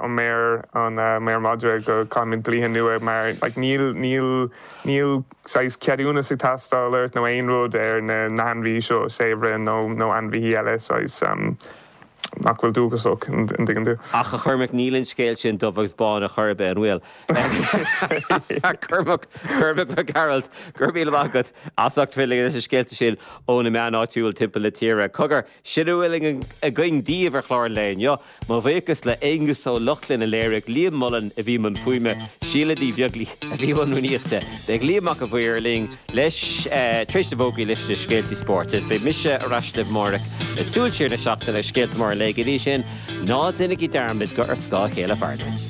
an maor an maor madra go caithfimid dlíthe nua mar like níl níl níl saghas ceadúnas ag teastáil ort nó aon rud ar na na hainmhithe seo séabra nó nó ainmhithe eile saghas nach bhfuil dúchasach an dtuigeann tú. Ach a Chormaic níl an scéal sin dubh agus bán ar chor ar bith, an bhfuil? Cormac, Cormac Mac Gearailt, go raibh míle maith agat as ucht bheith linn leis na scéalta sin ó na meáin áitiúil timpeall na tíre. Cogar, sin a bhfuil againn daoibh ar chlár an lae inniu. Mo bhuíochas le Aonghus Ó Lochlainn a léirigh, Liam Mullen a bhí i mbun fuaime, Síle Ní Bheaglaoich a bhí i mbun rúnaíochta. Beidh Liam Mac an Mhaoir linn leis tar éis na bhfógraí leis na scéaltaí spóirt agus beidh mise ar ais libh amárach le súil siar na seachtaine agus scéalta móra an lae. Go dtí sin, ná déanaigí dearmad gur ar scáth a chéile a mhairimid.